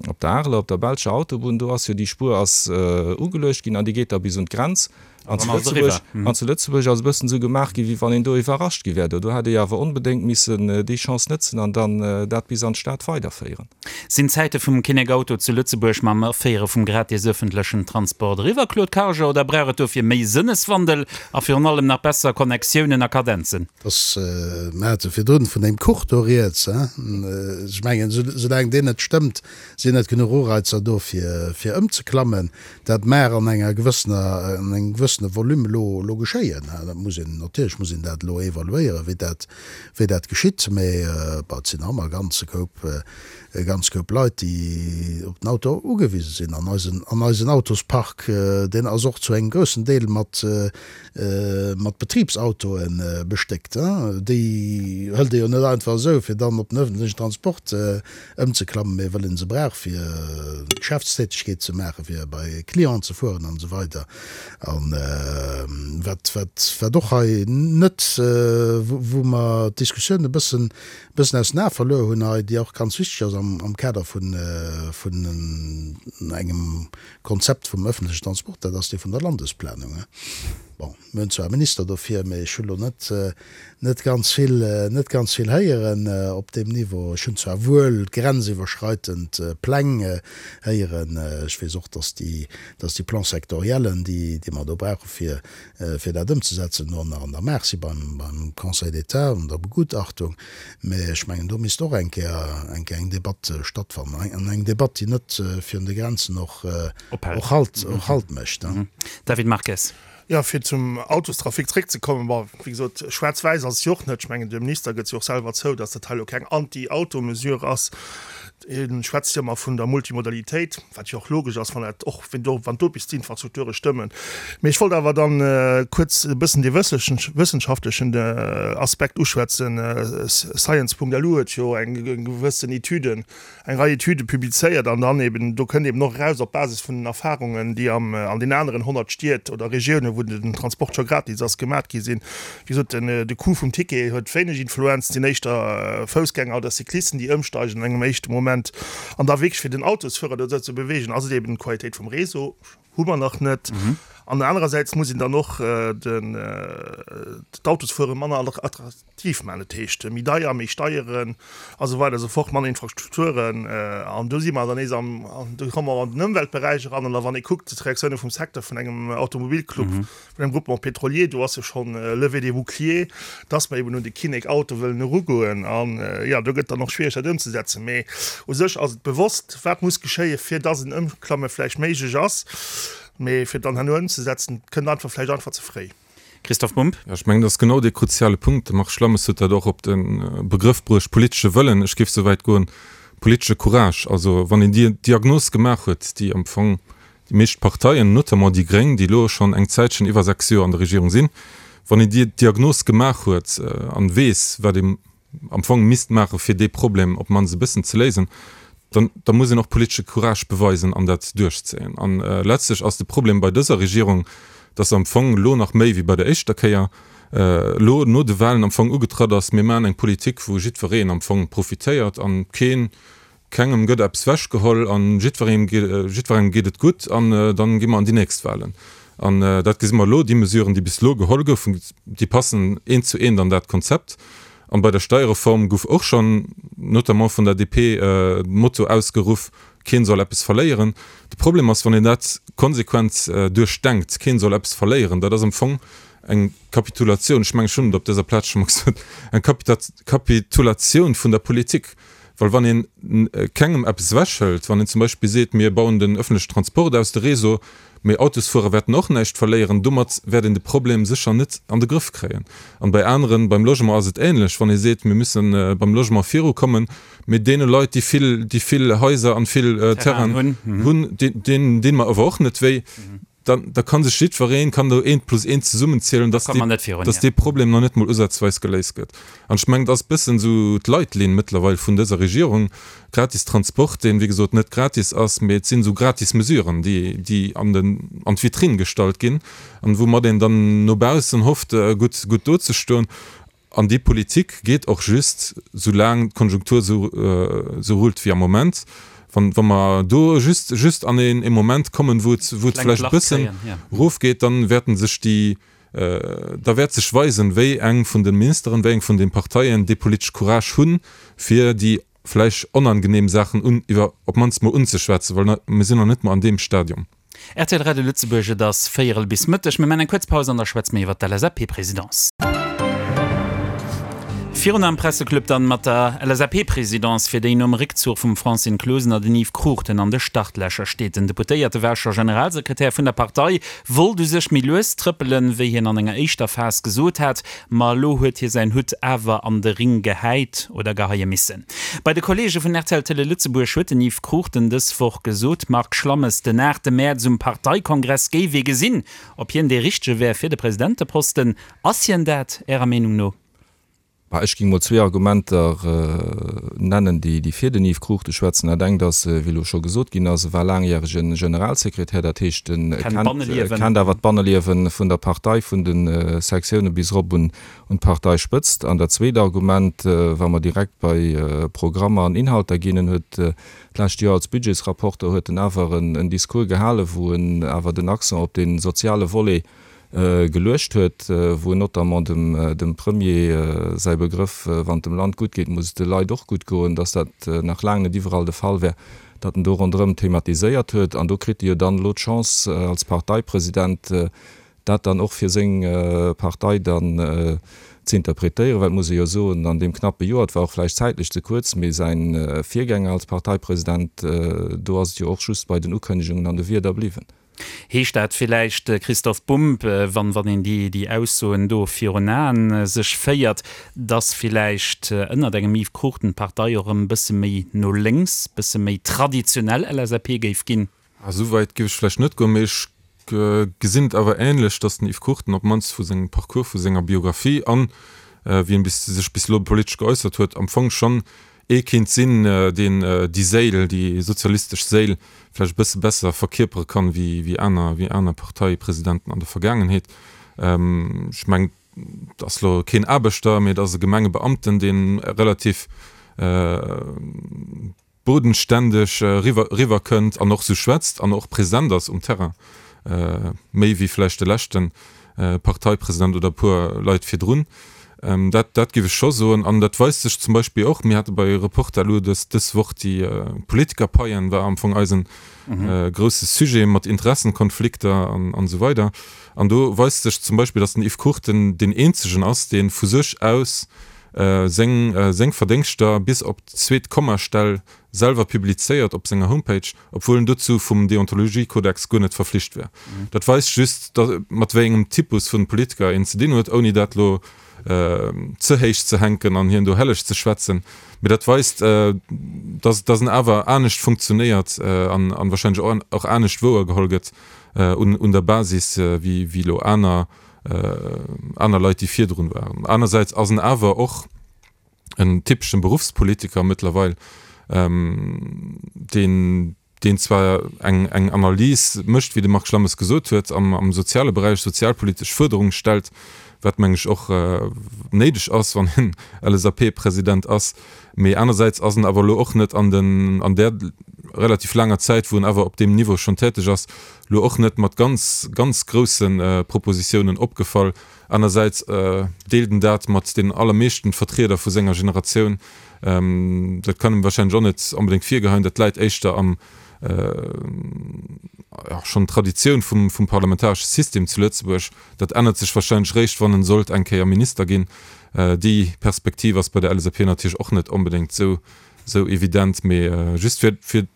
op der Areler, op der belscher Autobunn, do ass jo déi Spuer ass ugeluecht ginn an déi geet da bis un d'Grenz. An zu Lëtzebuerg, an zu Lëtzebuerg ass e bëssen esou gemaach ginn, wéi wann een do iwwerrascht gi wär. Do do hätt ee jo awer onbedéngt missen déi Chance nëtzen an dann dat bis an d'Stad weiderféieren. Sinn d'Zäite vum Kinnek-Auto zu Lëtzebuerg mam Aféiere vum gratis ëffentlechen Transport eriwwer, Claude Karger, oder brauch et dofir méi Sënneswandel a virun allem nach besser Connectiounen a Kadenzen? Dass, mer hate virdrun vun deem Kuch do rieds, ech mengen, soulaang deen net stëmmt, sinn net genuch Ureizer do fir, fir ëmzeklammen. Dat mag an enger gewëssener, an engem gewëssene Volume elo, elo geschéien. Dat muss een, natierlech muss een dat elo evaluéieren, wéi dat, wéi dat geschitt. Mä bon, et sinn nach ëmmer e ganze Koup, e ganz Koup Leit, déi op den Auto ugewise sinn. An eisen, an eisen Autospark, deen ass och zu engem groussen Deel mat, mat Betribsautoe bestéckt. Déi hëlt ee jo net einfach esou, fir dann op den ëffentlechen Transport ëmzeklammen, mee well ee se brauch, fir Geschäftstätegkeet ze maachen, fir bei Clienten ze fueren an esou weider. A wat, wat, wat och hei net, wou mer d'Diskussioun e bëssen, e bëssen aus den Ae verluer hunn hei, déi och ganz wichteg ass am, am Kader vun, vun engem Konzept vum öffentlechen Transport, dat ass dee vun der Landesplanung. Bon, mir hunn zwar e Minister dofir, mee ech hu lo net, net ganz vill, net ganz vill héieren op deem Niveau. Ech hunn zwar wuel grenziwwerschreitend Pläng héieren. Ech weess och, dass déi, dass déi Plans sectoriellen, déi, déi mer do brauche fir, fir dat ëmzesetzen, elo nach an der Maach si beim, beim Conseil d'État an der Begutachtung. Mä ech mengen, do misst och eng Kéier eng Kéier eng Debatt stattfannen, an eng Debatt, déi net virun de Grenzen och och Halt och Halt mécht. David Marques. Jo, fir zum Autostrafic zréckzekommen, bon, wéi gesot, schwaarz-wäiss ass et jo och net. Ech mengen, de Minister gëtt jo och selwer zou, datt dat hei elo keng Anti-Auto-Mesure ass. Hie schwätzt jo ëmmer vun der Multimodalitéit, wat jo och logesch ass, wann dat och, wenn do, wann do bis d'Infrastrukture stëmmen. Mee ech wollt awer dann kuerz e bëssen dee wëssenschaftlechen Aspekt uschwätzen. Science.lu huet jo eng gewëssen Etüden, eng Rei Etüde publizéiert an dann eben, do kënnt eben och eraus op Basis vun den Erfahrungen, déi am, an den aneren 100 Stied oder Regiounen, wou den Transport scho gratis ass, gemat gi sinn, Wéi gesot, de Coût vum Ticket huet wéineg Influenz, et sinn éischter Foussgänger oder Cyclisten, déi ëmsteigen an engem éischte Moment. An da wierklech fir den Autosfuerer dozou ze beweegen, ass et eben d'Qualitéit vum Réseau, hu mer nach net. An anerersäits muss een dann och d'Autosfuere manner attraktiv maachen, dat heescht méi deier, méi Steieren a sou weider a sou fort, manner Infrastrukturen. An do si mer dann nees am, do komme mer an den Ëmweltberäich eran. An da wann ee kuckt d'Reaktioune vum Secteur, vun engem Automobilclub, Vun engem Groupement pétrolier, do ass jo schonn Levée des boucliers, dass mer eben un de Kinnek Auto wëllen erugoen. An, jo, do gëtt dann och schwiereg, dat ëmzesetzen. Mee u sech ass et bewosst, wat muss geschéien, fir dass en Ëmklamme vläicht méiglech ass. Mee fir et dann herno ëmzesetzen, kënnt einfach vläicht einfach ze fréi. Christoph Bumb. Jo, ech mengen, dat ass genau dee kruziale Punkt. De Marc Schlammes huet dat och op de Begrëff bruecht, politesche Wëllen. Ech géif esou wäit goen, politesche Courage. Also wann een déi Diagnos gemaach huet, déi am Fong Déi meescht Parteien, notamment déi Gréng, déi elo schonn eng Zäitchen, iwwer 6 Joer an der Regierung sinn, wann een déi Diagnos gemaach huet an weess, wat ee am Fong misst maachen, fir dee Problem op d'mannst e bëssen ze léisen, dann da muss een och politesche Courage beweisen an dat duerchzéien. An letztlech ass de Problem bei dëser Regierung, dass se am Fong elo nach méi wéi bei der éischter Kéier elo no de Wahlen am Fong ugetratt ass, mir maachen eng Politik, wou jiddwereen am Fong profitéiert an keen Kengem gëtt eppes wechgeholl an jiddwerengem jiddwerengem geet et gutt an dann gi mer an déi nächst Wahlen. An dat gesi mer elo, déi Mesuren, déi bis elo geholl goufen, déi passen eent zu eent an dat Konzept. An bei der Steierreform gouf och schonn, notamment vun der DP, de Motto ausgeruff, Keen soll eppes verléieren. De Problem ass, wann een dat konsequent duerchdenkt, keen soll eppes verléieren, dat ass am Fong eng Kapitulatioun, ech mengen, ech hunn et op dëser Plaz scho mol gesot, eng Kapitulatioun vun der Politik. Well wann ee kengem eppes ewechhëlt, wann een zum Beispill seet, mir bauen den öffentlechen Transport aus, de Réseau, mee Autosfuerer wäerten och näischt verléieren, domat wäert een de Problem sécher net an de Grëff kréien. An bei aneren, beim Logement ass et ähnlech, wann ee seet, mir müssen beim Logement virukommen, mee deene Leit, déi vill, déi vill Haiser an vill Terrainen hunn, deenen dinn mer awer och net wéi. dann da kann sech jiddwereen, kann do eent plus eent zesummenzielen, dass dee, dass dee Problem nach net mol usazweis geléist gëtt. An ech mengen, et ass e bëssen esou d'Leitlinn mëttlerweil vun dëser Regierung, gratis Transport, deen, wéi gesot, net gratis ass, mee et sinn esou gratis Mesuren, déi, déi an den, an d'Vitrinn gestallt ginn an woumat een dann no baussen hofft, gutt, gutt dozestoen. An déi Politik geet och just, soulaang d'Konjunktur esou rullt wéi am Moment. Wann, wa mer do just, just an een ee Moment kommen, wou et, wou et vläicht e bëssen erofgeet, dann wäerten sech déi, da wäert sech weisen, wéi eng vun de Ministeren, wéi eng vun de Parteien dee politesch Courage hunn, fir déi vläicht onangenehm Saachen un, iwwer, op d'mannst mol unzeschwätzen, well mir sinn nach net mol an deem Stadium. Rtl Radio Lëtzebuerg, et ass véierel bis Mëtteg. Mir maachen eng kuerz Paus an da schwätze mir iwwer d'LSAP-Presidence. Virun am Presseclub dann mat der LSAP-Presidence, fir déi nom Réckzuch vum Francine Closener den Yves Cruchten an de Startlächer steet. Den Deputéierte war scho Generalsekretär vun der Partei, wollt u sech méi lues trëppelen, wéi hien an enger éischter Phas gesot hat, ma elo huet hie säin Hutt awer an de Ring gehäit oder geheie missen. Bei de Kolleege vun rtl Télé Lëtzebuerg huet den Yves Cruchten dës Woch gesot, Marc Schlammes, den 8 Mäerz um Parteikongress géif ee gesinn, ob hien dee Richtege wär fir de Presidenteposten. Ass hien dat, Ärer Meenung no? Bah, ech géing mol zwee Argumenter nennen, déi fir den Yves Cruchten schwätzen. Dat engt ass, wéi elo scho gesot ginn ass, e war laangjärege Generalsekretär, dat heescht, en kennt awer d'Banneliewe vun der Partei, vun de Sektioune bis erop un un d'Parteispëtzt. An dat zweet Argument, wa mer direkt bei Programmer an Inhalter ginn, en huet d'lescht Joer als Budgetsrapporter huet en awer en Discours gehalen, wou en awer den Accent op dee soziale Volet geluecht huet, wou en notamment dem Premier säi Begrëff, wann et dem Land gutt geet, muss et de Leit och gutt goen, dass dat nach laang net iwwerall de Fall wär, datt en do ronderëm thematiséiert huet. An do kritt e jo dann elo d'Chance als Parteipresident, dat dann och fir seng Partei dann ze interpretéieren, well et muss ee jo soen, an deem knappe Joer, et war och vläicht zäitlech ze kuerz, mee säi Virgänger als Parteipresident, do ass et jo och just bei den Ukënnegungen an de Wierder bliwwen. Heescht dat villäicht, Christoph Bumb, wann wann een déi déi Aussoen do virun Aen sech féiert, datt villäicht ënnert engem Yves Cruchten d'Partei och erëm e bësse méi no lénks, bësse méi traditionell LSAP géif ginn? Esou wäit géif ech vläicht net goen, mee ech gesinn et awer änlech, datt den Yves Cruchten op d'mannst vu sengem Parcours, vu senger Biographie an wéi en bis sech bis elo politesch geäussert huet, am Fong schonn ee kéint sinn, deen déi Séil, déi sozialistesch Séil vläicht e bësse besser verkierpere kann, wéi aner, wéi aner Parteipresidenten an der Vergaangenheet. Ech mengen, et ass elo keen Aarbechter, mee et ass e Gemengebeamten, dee relativ bodenständeg eriwwer eriwwer kënnt an och sou schwätzt an och präsent ass um Terrain, méi wéi vläicht de leschte Parteipresident oder e puer Leit virdrun. Dat dat géif ech scho soen. An dat weist sech zum Beispill och, mir hate bei Reporter elo dës dës Woch déi Politikerpaien, war am Fong eisen grousse Sujet mat Interessenkonflikter an an esou weider. An do weist sech zum Beispill, datt den Yves Cruchten deen eenzegen ass, dee vu sech aus seng seng Verdéngschter bis op d'zweet Kommastell selwer publizéiert op senger Homepage, obwuel en dozou vum Deontologiekodex guer net verflicht wär. Dat weist just, mat wéi engem Typus vun Politiker een ze dinn huet, ouni dat lo ze héich ze hänken an hien do helleg ze schwätzen. Mee dat weist, dass dass en awer anescht funktionéiert an an wahrscheinlech och anescht wouergeholl gëtt un un der Basis wéi wéi lo aner aner Leit, déi virdrun waren. Anersäits ass en awer och en typeschen Beruffspolitiker mëttlerweil, deen, deen zwar eng, eng Analys mécht, wéi de Marc Schlammes gesot huet, am, am soziale Beräich sozialpolitesch Fuerderunge stellt, wat, meng ech, och néideg ass, wann een LSAP-President ass. Mee anersäits ass en awer elo och net an den, an där relativ laanger Zäit, wou en awer op deem Niveau schonn täteg ass, lo och net mat ganz, ganz grousse Propositiounen opgefall. Anersäits deelt en dat mat deenen allermeeschten Vertrieder vu senger Generatioun. Dat kann em warscheinlech och net onbedéngt virgeheien. Dat läit éischter am, jo, schonn Traditioun vum, vum parlamentaresche System zu Lëtzebuerg. Dat ännert sech warscheinlech réischt, wann en sollt eng Kéier Minister ginn. Déi Perspektiv ass bei der LSAP natierlech och net onbedéngt esou, esou evident. Mee just fir, fir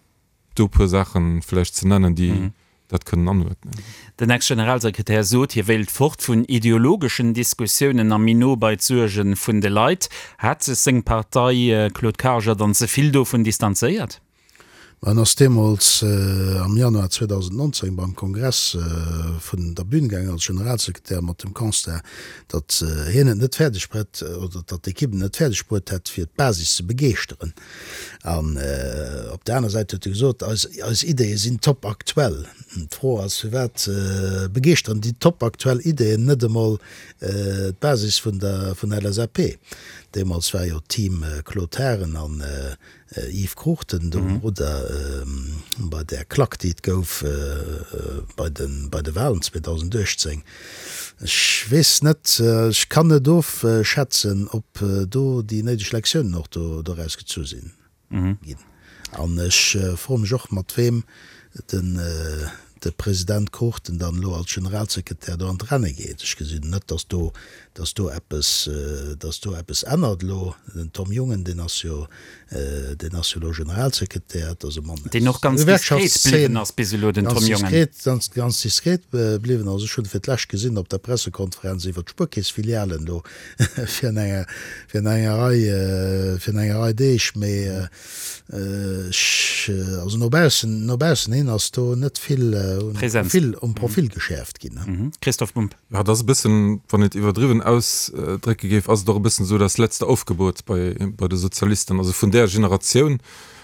do e puer Saache vläicht ze nennen, déi dat kënnen anuerdnen. Den Ex-Generalsekretär sot, hie wéilt fort vun ideologeschen Diskussiounen a méi no bei d'Suerge vun de Leit. Hat sech seng Partei, Claude Karger, dann ze vill dovun distanzéiert? En ass deemools am Januar 2019 beim Kongress vun der Bühn gaangen als Generalsekretär mat dem Constat, datt hien et net fäerdeg brett oder datt d'Ekipp et net fäerdeg bruet hätt, fir d'Basis ze begeeschteren. An op der aner Säit huet e gesot, eis eis Ideeë sinn top aktuell. D'Fro ass, firwat begeeschteren déi top aktuell Ideeën net emol d'Basis vun der vun der LSAP? Deemools war jo d'Team Claude Haagen an Yves Cruchten do um Rudder bei där Klack, déi et gouf bei de bei de Wahlen 2018. Ech weess net, ech kann net ofschätzen, ob do déi néideg Lektiounen och do doraus gezu sinn ginn. An ech froe mech och, mat weem den de President Cruchten dann elo als Generalsekretär do an d'Renne geet. Ech gesinn net, datt do, datt do eppes, datt do eppes ännert elo. Den Tom Jungen, deen ass jo, deen ass jo elo Generalsekretär, dat ass e Mann aus Deen och ganz der diskret Gewerkschaftsszeen, bliwwen ass bis elo, den ganz Tom Jungen. diskret, ganz, ganz diskret bliwwen ass. Ech hunn e fir d'lescht gesinn op der Pressekonferenz iwwert d'Spuerkeessfilialen do virun enger, virun enger Rei, virun enger Rei Deeg, mee Ech, also no baussen, no baussen hin ass do net vill um Profil, um Profil geschäerft ginn. Christoph Bumb. Jo, et ass e bëssen, wann een et iwwerdriwwen ausdrécke géif, ass et och e bëssen esou das letzte Aufgebot bei, bei de Sozialisten, also vun där Generatioun.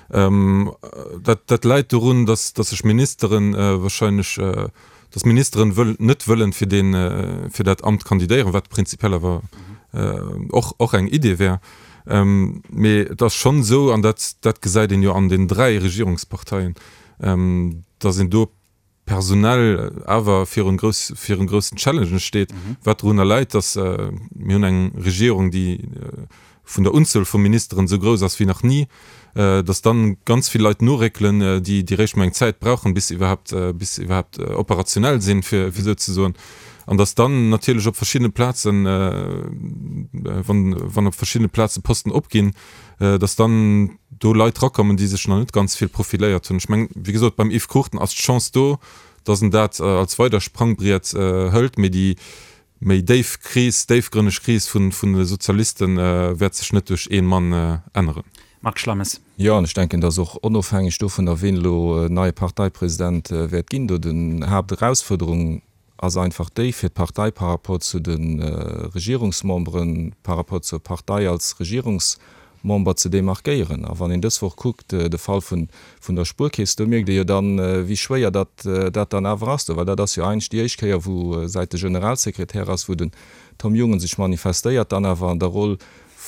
Dat, dat läit dorun, datt, datt sech Ministeren wahrscheinlech, datt Ministeren wëll, net wëllen fir deen, fir dat Amt kandidéieren, wat prinzipiell awer och, och eng Idee wär. Mee et ass schonn esou, an dat, dat gesäit een jo an den 3 Regierungsparteien, datt een do personell awer virun grouss, virun groussen Challengen steet, wat dorunner läit, datt mir hunn eng Regierung, déi vun der Unzuel vu Ministeren esou grouss ass wéi nach ni, datt dann ganz vill Leit noréckelen, déi, déi réischt mol eng Zäit brauchen, bis se iwwerhaapt, bis se iwwerhaapt operationell sinn, fir, fir esou ze soen. An datt dann natierlech op verschiddene Plazen, wann, wann op verschiddene Plaze Posten opginn, datt dann do Leit rakommen, déi sech nach net ganz vill profiléiert hunn. Ech mengen, wéi gesot, beim Yves Cruchten ass d'Chance do, datt en dat als weider Sprangbriet hëlt, mee déi méi déif Kris, déifgrënneg Kris vun, vun de Sozialiste wäert sech net duerch ee Mann änneren. Marc Schlammes. Jo, an ech denken, datt och onofhängeg dovunner, ween elo neie Parteipresident wäert ginn, do den Haapterausfuerderung ass einfach déi, fir d'Partei par rapport zu de Regierungsmemberen, par rapport zur Partei als Regierungsmember ze demarkéieren. A wann een dës Woch kuckt, de Fall vun der Spuerkeess, do mierkt ee jo dann, wéi schwéier datt dat dann awer ass do, well dat ass jo eigentlech déi éischt Kéier, wou, säit de Generalsekretär ass, wou den Tom Jungen sech manifestéiert, dann awer an der Roll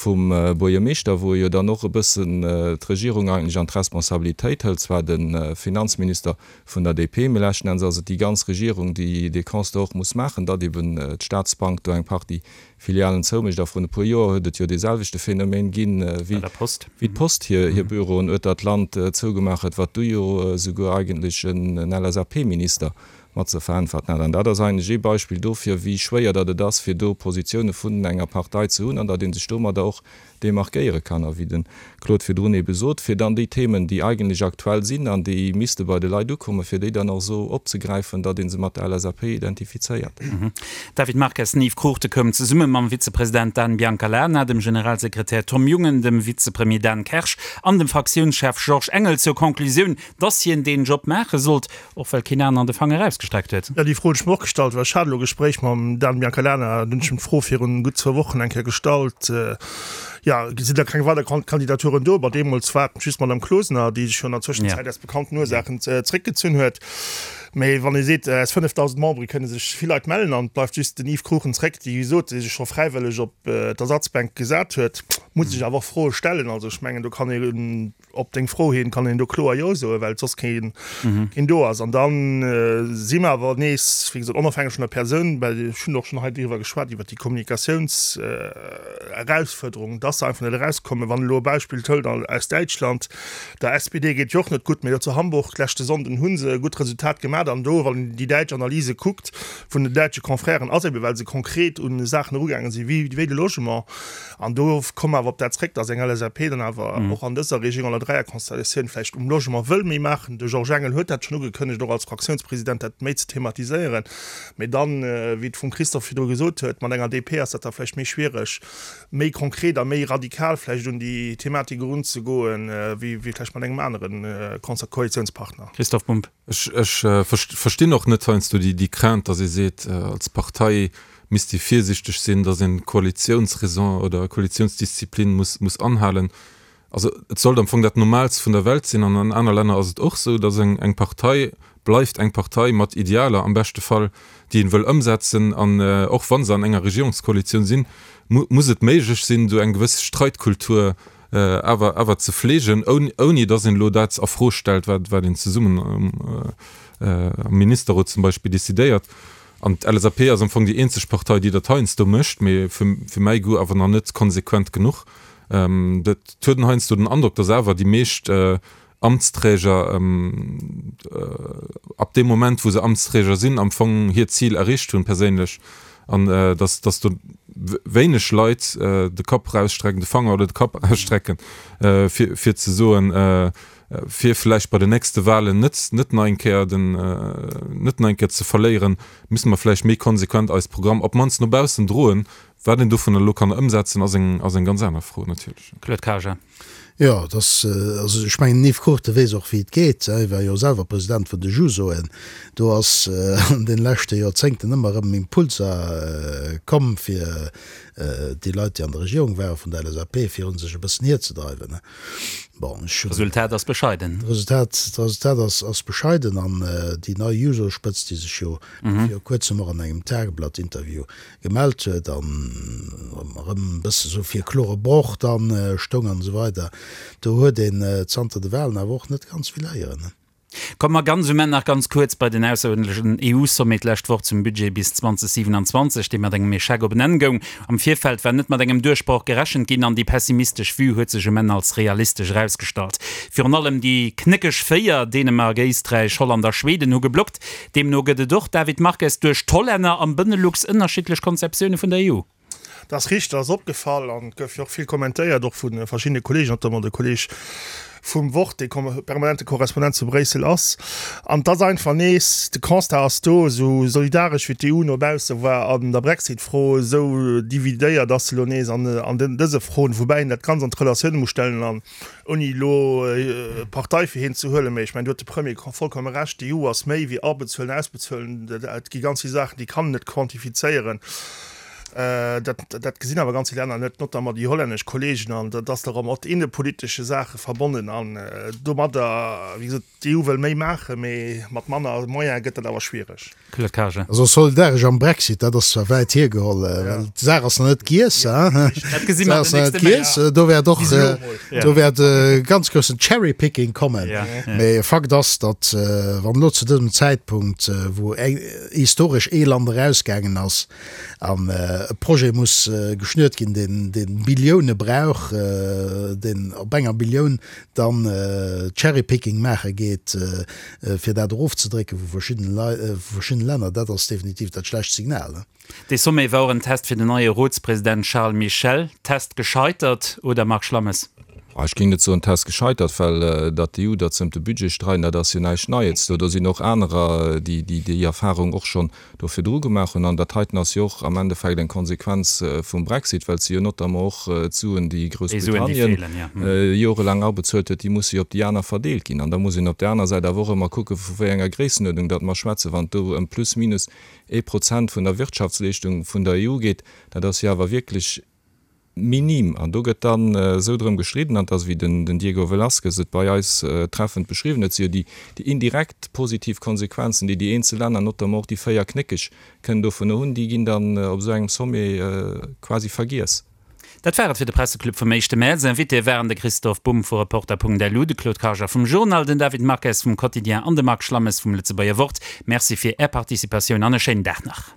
vum Buergermeeschter, wou e jo dann och e bëssen d'Regierung eigentlech an d'Responsabilitéit hëlt, zwar de Finanzminister vun der DP, mee leschten Enns ass et déi ganz Regierung, déi dee Constat och muss maachen, datt eben d'Staatsbank do eng Partie Filialen zoumécht. A vrun e puer Joer huet et jo dee selwechte Phänomen ginn, wéi d'Post hir Büroen ueter d'Land zougemaach huet, wat du jo esouguer eigentlech en LSAP-Minister mat ze veräntwerten hat. An dat ass eigentlech ee Beispill dofir, wéi schwéier datt et ass, fir do Positioune vun enger Partei ze hunn an datt ee sech domadder och demarkéiere kann. A wéi de Claude virdrun ebe sot, fir dann déi Themen, déi eigentlech aktuell sinn an déi misste bei de Leit ukommen, fir déi dann och esou opzegräifen, datt ee se mat der LSAP identifizéiert. David Marques den Yves Cruchten koum zesumme mam Vizepresident Dan Biancalana, dem Generalsekretär Tom Jungen, dem Vizepremier Dan Kersch an dem Fraktiounschef Georges Engel zur Conclusioun, dass hien deen Job maache sollt, Och well keen aneren de Fanger erausgestreckt huet. Jo, déi Fro hunn ech mer och gestallt, well ech hat elo e Gespréich mam Dan Biancalana, dunn hunn ech him d'Fro virun gutt zwou Wochen eng Kéier gestallt, jo, sinn da keng weider Kandidaturen do? Bon, deemools war et just d'Madame Closener, déi sech jo an der Zwëschenzäit aus bekannten Ursaachen zréckgezunn huet. Mee wann ee seet, aus 5.000 Membere kënne sech vill Leit mellen an et bleift just den Yves Cruchten zréck, dee wéi gesot sech scho fräiwëlleg op d'Ersatzbänk gesat huet, muss ech awer och Froe stellen. Also ech mengen, do kann ee Op deng Fro hin kann een do kloer Jo soen, well soss keen do ass. An da si mer awer nees, wéi gesot, onofhängeg vun der Persoun, well ech hunn och schonn hei driwwer geschwat, iwwert déi Kommunikatiounseraussfuerderung, dass se einfach net erauskommen. Wann elo e Beispill hëlt aus Däitschland, der SPD geet jo och net gutt, mee do zu Hamburg leschte Sonnden hu se e gutt Resultat gemaach. hat. An do, wann een déi däitsch Analyse kuckt vun den däitsche Confrèren, ass ebe well se konkret un Saachen erugaange sinn, wéi wéi de Logement. An do komme mer awer op dat zréck, datt eng LSAP dann awer och an dëser Regierung, an der Dräierkonstellatioun vläicht um Logement wëll méi maachen. De Georges Engel huet dat schonn ugekënnegt, och als Fraktiounspresident dat méi ze thematiséieren. Mee dann, wéi et vum Christophe virdru gesot huet, mat enger DP ass dat da vläicht méi schwiereg, méi konkret a méi radikal vläicht un déi Thematik erunzegoen, wéi vläicht mat engem anere Koalitiounspartner. Christophe Bumb. Ech verstinn och net heiansdo déi Crainte, datt ee seet, als Partei misst ee virsichteg sinn, datt een d'Koalitiounsraison oder Koalitiounsdisziplin muss anhalen. Also et sollt am Fong dat Normaalst vun der Welt sinn, an an aner Länner ass et och esou, datt eng Partei bleift eng Partei mat Idealer am beschte Fall, déi een wëll ëmsetzen, an och wa se an enger Regierungskoalitioun sinn, muss et méiglech sinn, do eng gewëss Streitkultur awer awer ze fleegen, ouni datt een elo dat a Fro stellt, wat wat een zesummen am Ministerrot zum Beispill decidéiert. An d'LSAP ass am Fong déi eenzeg Partei, déi dat heiansdo mécht, mee fir mäi Goût awer nach net konsequent genuch. Et huet en heiansdo den Androck, datt awer déi meescht Amtsträger ab deem Moment, wou se Amtsträger sinn, am Fong hiert Zil erreecht hunn perséinlech an datt datt do wéineg Leit de Kapp erausstrecken, de Fanger oder de Kapp erausstrecken, fir fir ze soen, fir vläicht bei den nächste Wahlen net net nach eng Kéier den net nach eng Kéier ze verléieren, müsse mer vläicht méi konsequent eis Programm op d'mannst no baussen droen, Wat een dovunner elo kann ëmsetzen, ass eng, ass eng ganz aner Fro natierlech. Claude Karger. Jo, et ass, also ech mengen, den Yves Cruchten weess och, wéi et geet. Hie war jo selwer President vun de Jusoen. Do ass an de leschte Joerzéngten ëmmer erëm Impulser komm, fir déi Leit, déi an der Regierung waren, vun der LSAP, fir un sech e bëssen hierzedreiwen. Bon, ech hunn. D'Resultat ass bescheiden. D'Resultat, d'Resultat ass, ass bescheiden. An déi nei Juso-Spëtzt, déi sech jo viru Kuerzem och an engem Tageblatt-Interview gemellt huet an erëm e bësse sou fir klore Broch dann stoung an esou weider. Do huet een zanter de Wahlen awer och net ganz vill héieren. Komme mer ganz um Enn nach ganz kuerz bei den ausseruerdentlechen EU-Sommet d'lescht Woch zum Budget bis 2027, dee mat engem Echec op en Enn goung. Am Virfeld war net mat engem Duerchbroch gerechent ginn an déi pessimistesch Vue huet sech um Enn als realistesch erausgestallt. Virun allem déi knéckeg Véier, Dänemark, Éisträich, Holland a Schweden, hu geblockt. Deemno gëtt et och, David Marques, duerch d'Hollänner am Benelux ënnerschiddlech Konzeptioune vun der EU. Dat ass richteg, dat ass opgefall an et gouf jo och vill kommentéiert, och vu verschiddene Kolleegen, notamment de Kolleeg vum Wort, dee permanente Korrespondent zu Bréissel ass. An et ass einfach nees, de Constat ass do, esou solidaresch wéi d'EU no bausse war an der Brexit-Fro, esou dividéiert ass se elo nees an dëse Froen, woubäi een dat Ganzt an d'Relatioune muss stellen an Ouni elo Partei fir hien ze huelen, mä ech mengen, do huet de Premier vollkomme Recht, D'EU ass méi wéi abezuelen, ausbezuelen. Et gi ganz vill Saachen, déi kann een net quantifizéieren. Dat, dat gesinn awer ganz vill Länner net, notamment déi hollännesch Kollegen. An dat ass da erëm mat innepolitesche Saache verbonnen. An domadder, wéi gesot, d'EU wëll méi maachen, mä mat manner Moyene gëtt dat awer schwiereg. Claude Karger. Also solidaresch am Brexit, dat ass zwar wäit hiergeholl, well d'Saach ass nach net giess. Dat gesi mer den nächste Méint. Do wäert och do wäert e ganz groussen Cherry-Picking kommen. Mee Fakt ass, datt wann elo zu dësem Zäitpunkt, wou historesch ee Land erausgaangen ass an e Projet muss geschnürt ginn, deen dee Billioune brauch, deen op enger Billioun dann Cherry-Picking maache geet, fir dat erofzedrécke vu verschiddene verschiddene Länner, dat ass definitiv dat schlecht Signal. Dee Sommet war och en Test fir den neie Rotspresident Charles Michel. Test gescheitert, oder Marc Schlammes? Ech géing net soen Test gescheitert, well datt d'EU, datt se ëm de Budget streiden, dat ass jo näischt Neies. Do sinn och anerer, déi déi Erfahrung och schonn do virdru gemaach hunn. An dat heiten ass jo och am Endeffekt eng Konsequenz vum Brexit, well se jo notamment och d'Suen, déi Groussbritannien jorelaang abezuelt huet, déi musse jo op déi aner verdeelt ginn. An da muss een op där aner Säit awer och ëmmer kucken, vu wéi enger Gréissenuerdnung datt mer schwätzen. Wann et do ëm plus minus ee Prozent vun der Wirtschaftsleeschtung vun der EU geet, dat ass jo awer wierklech Minim. An do gëtt dann esou drëm gestridden, an et ass, wéi den Diego Velázquez et bei eis treffend beschriwwen huet, si jo déi indirekt positiv Konsequenzen, déi déi eenzel Länner, notamment och déi 4 Knéckeg, kënnen dovunner hunn, déi ginn dann op esou engem Sommet quasi vergiess. Dat war et fir de Presseclub vum éischte Mäerz. Invitéë waren de Christoph Bumb vu Reporter.lu, de Claude Karger vum Journal, den David Marques vum Quotidien an de Marc Schlammes vum Lëtzebuerger Wort. Merci fir Är Participatioun an e schéinen Dag nach.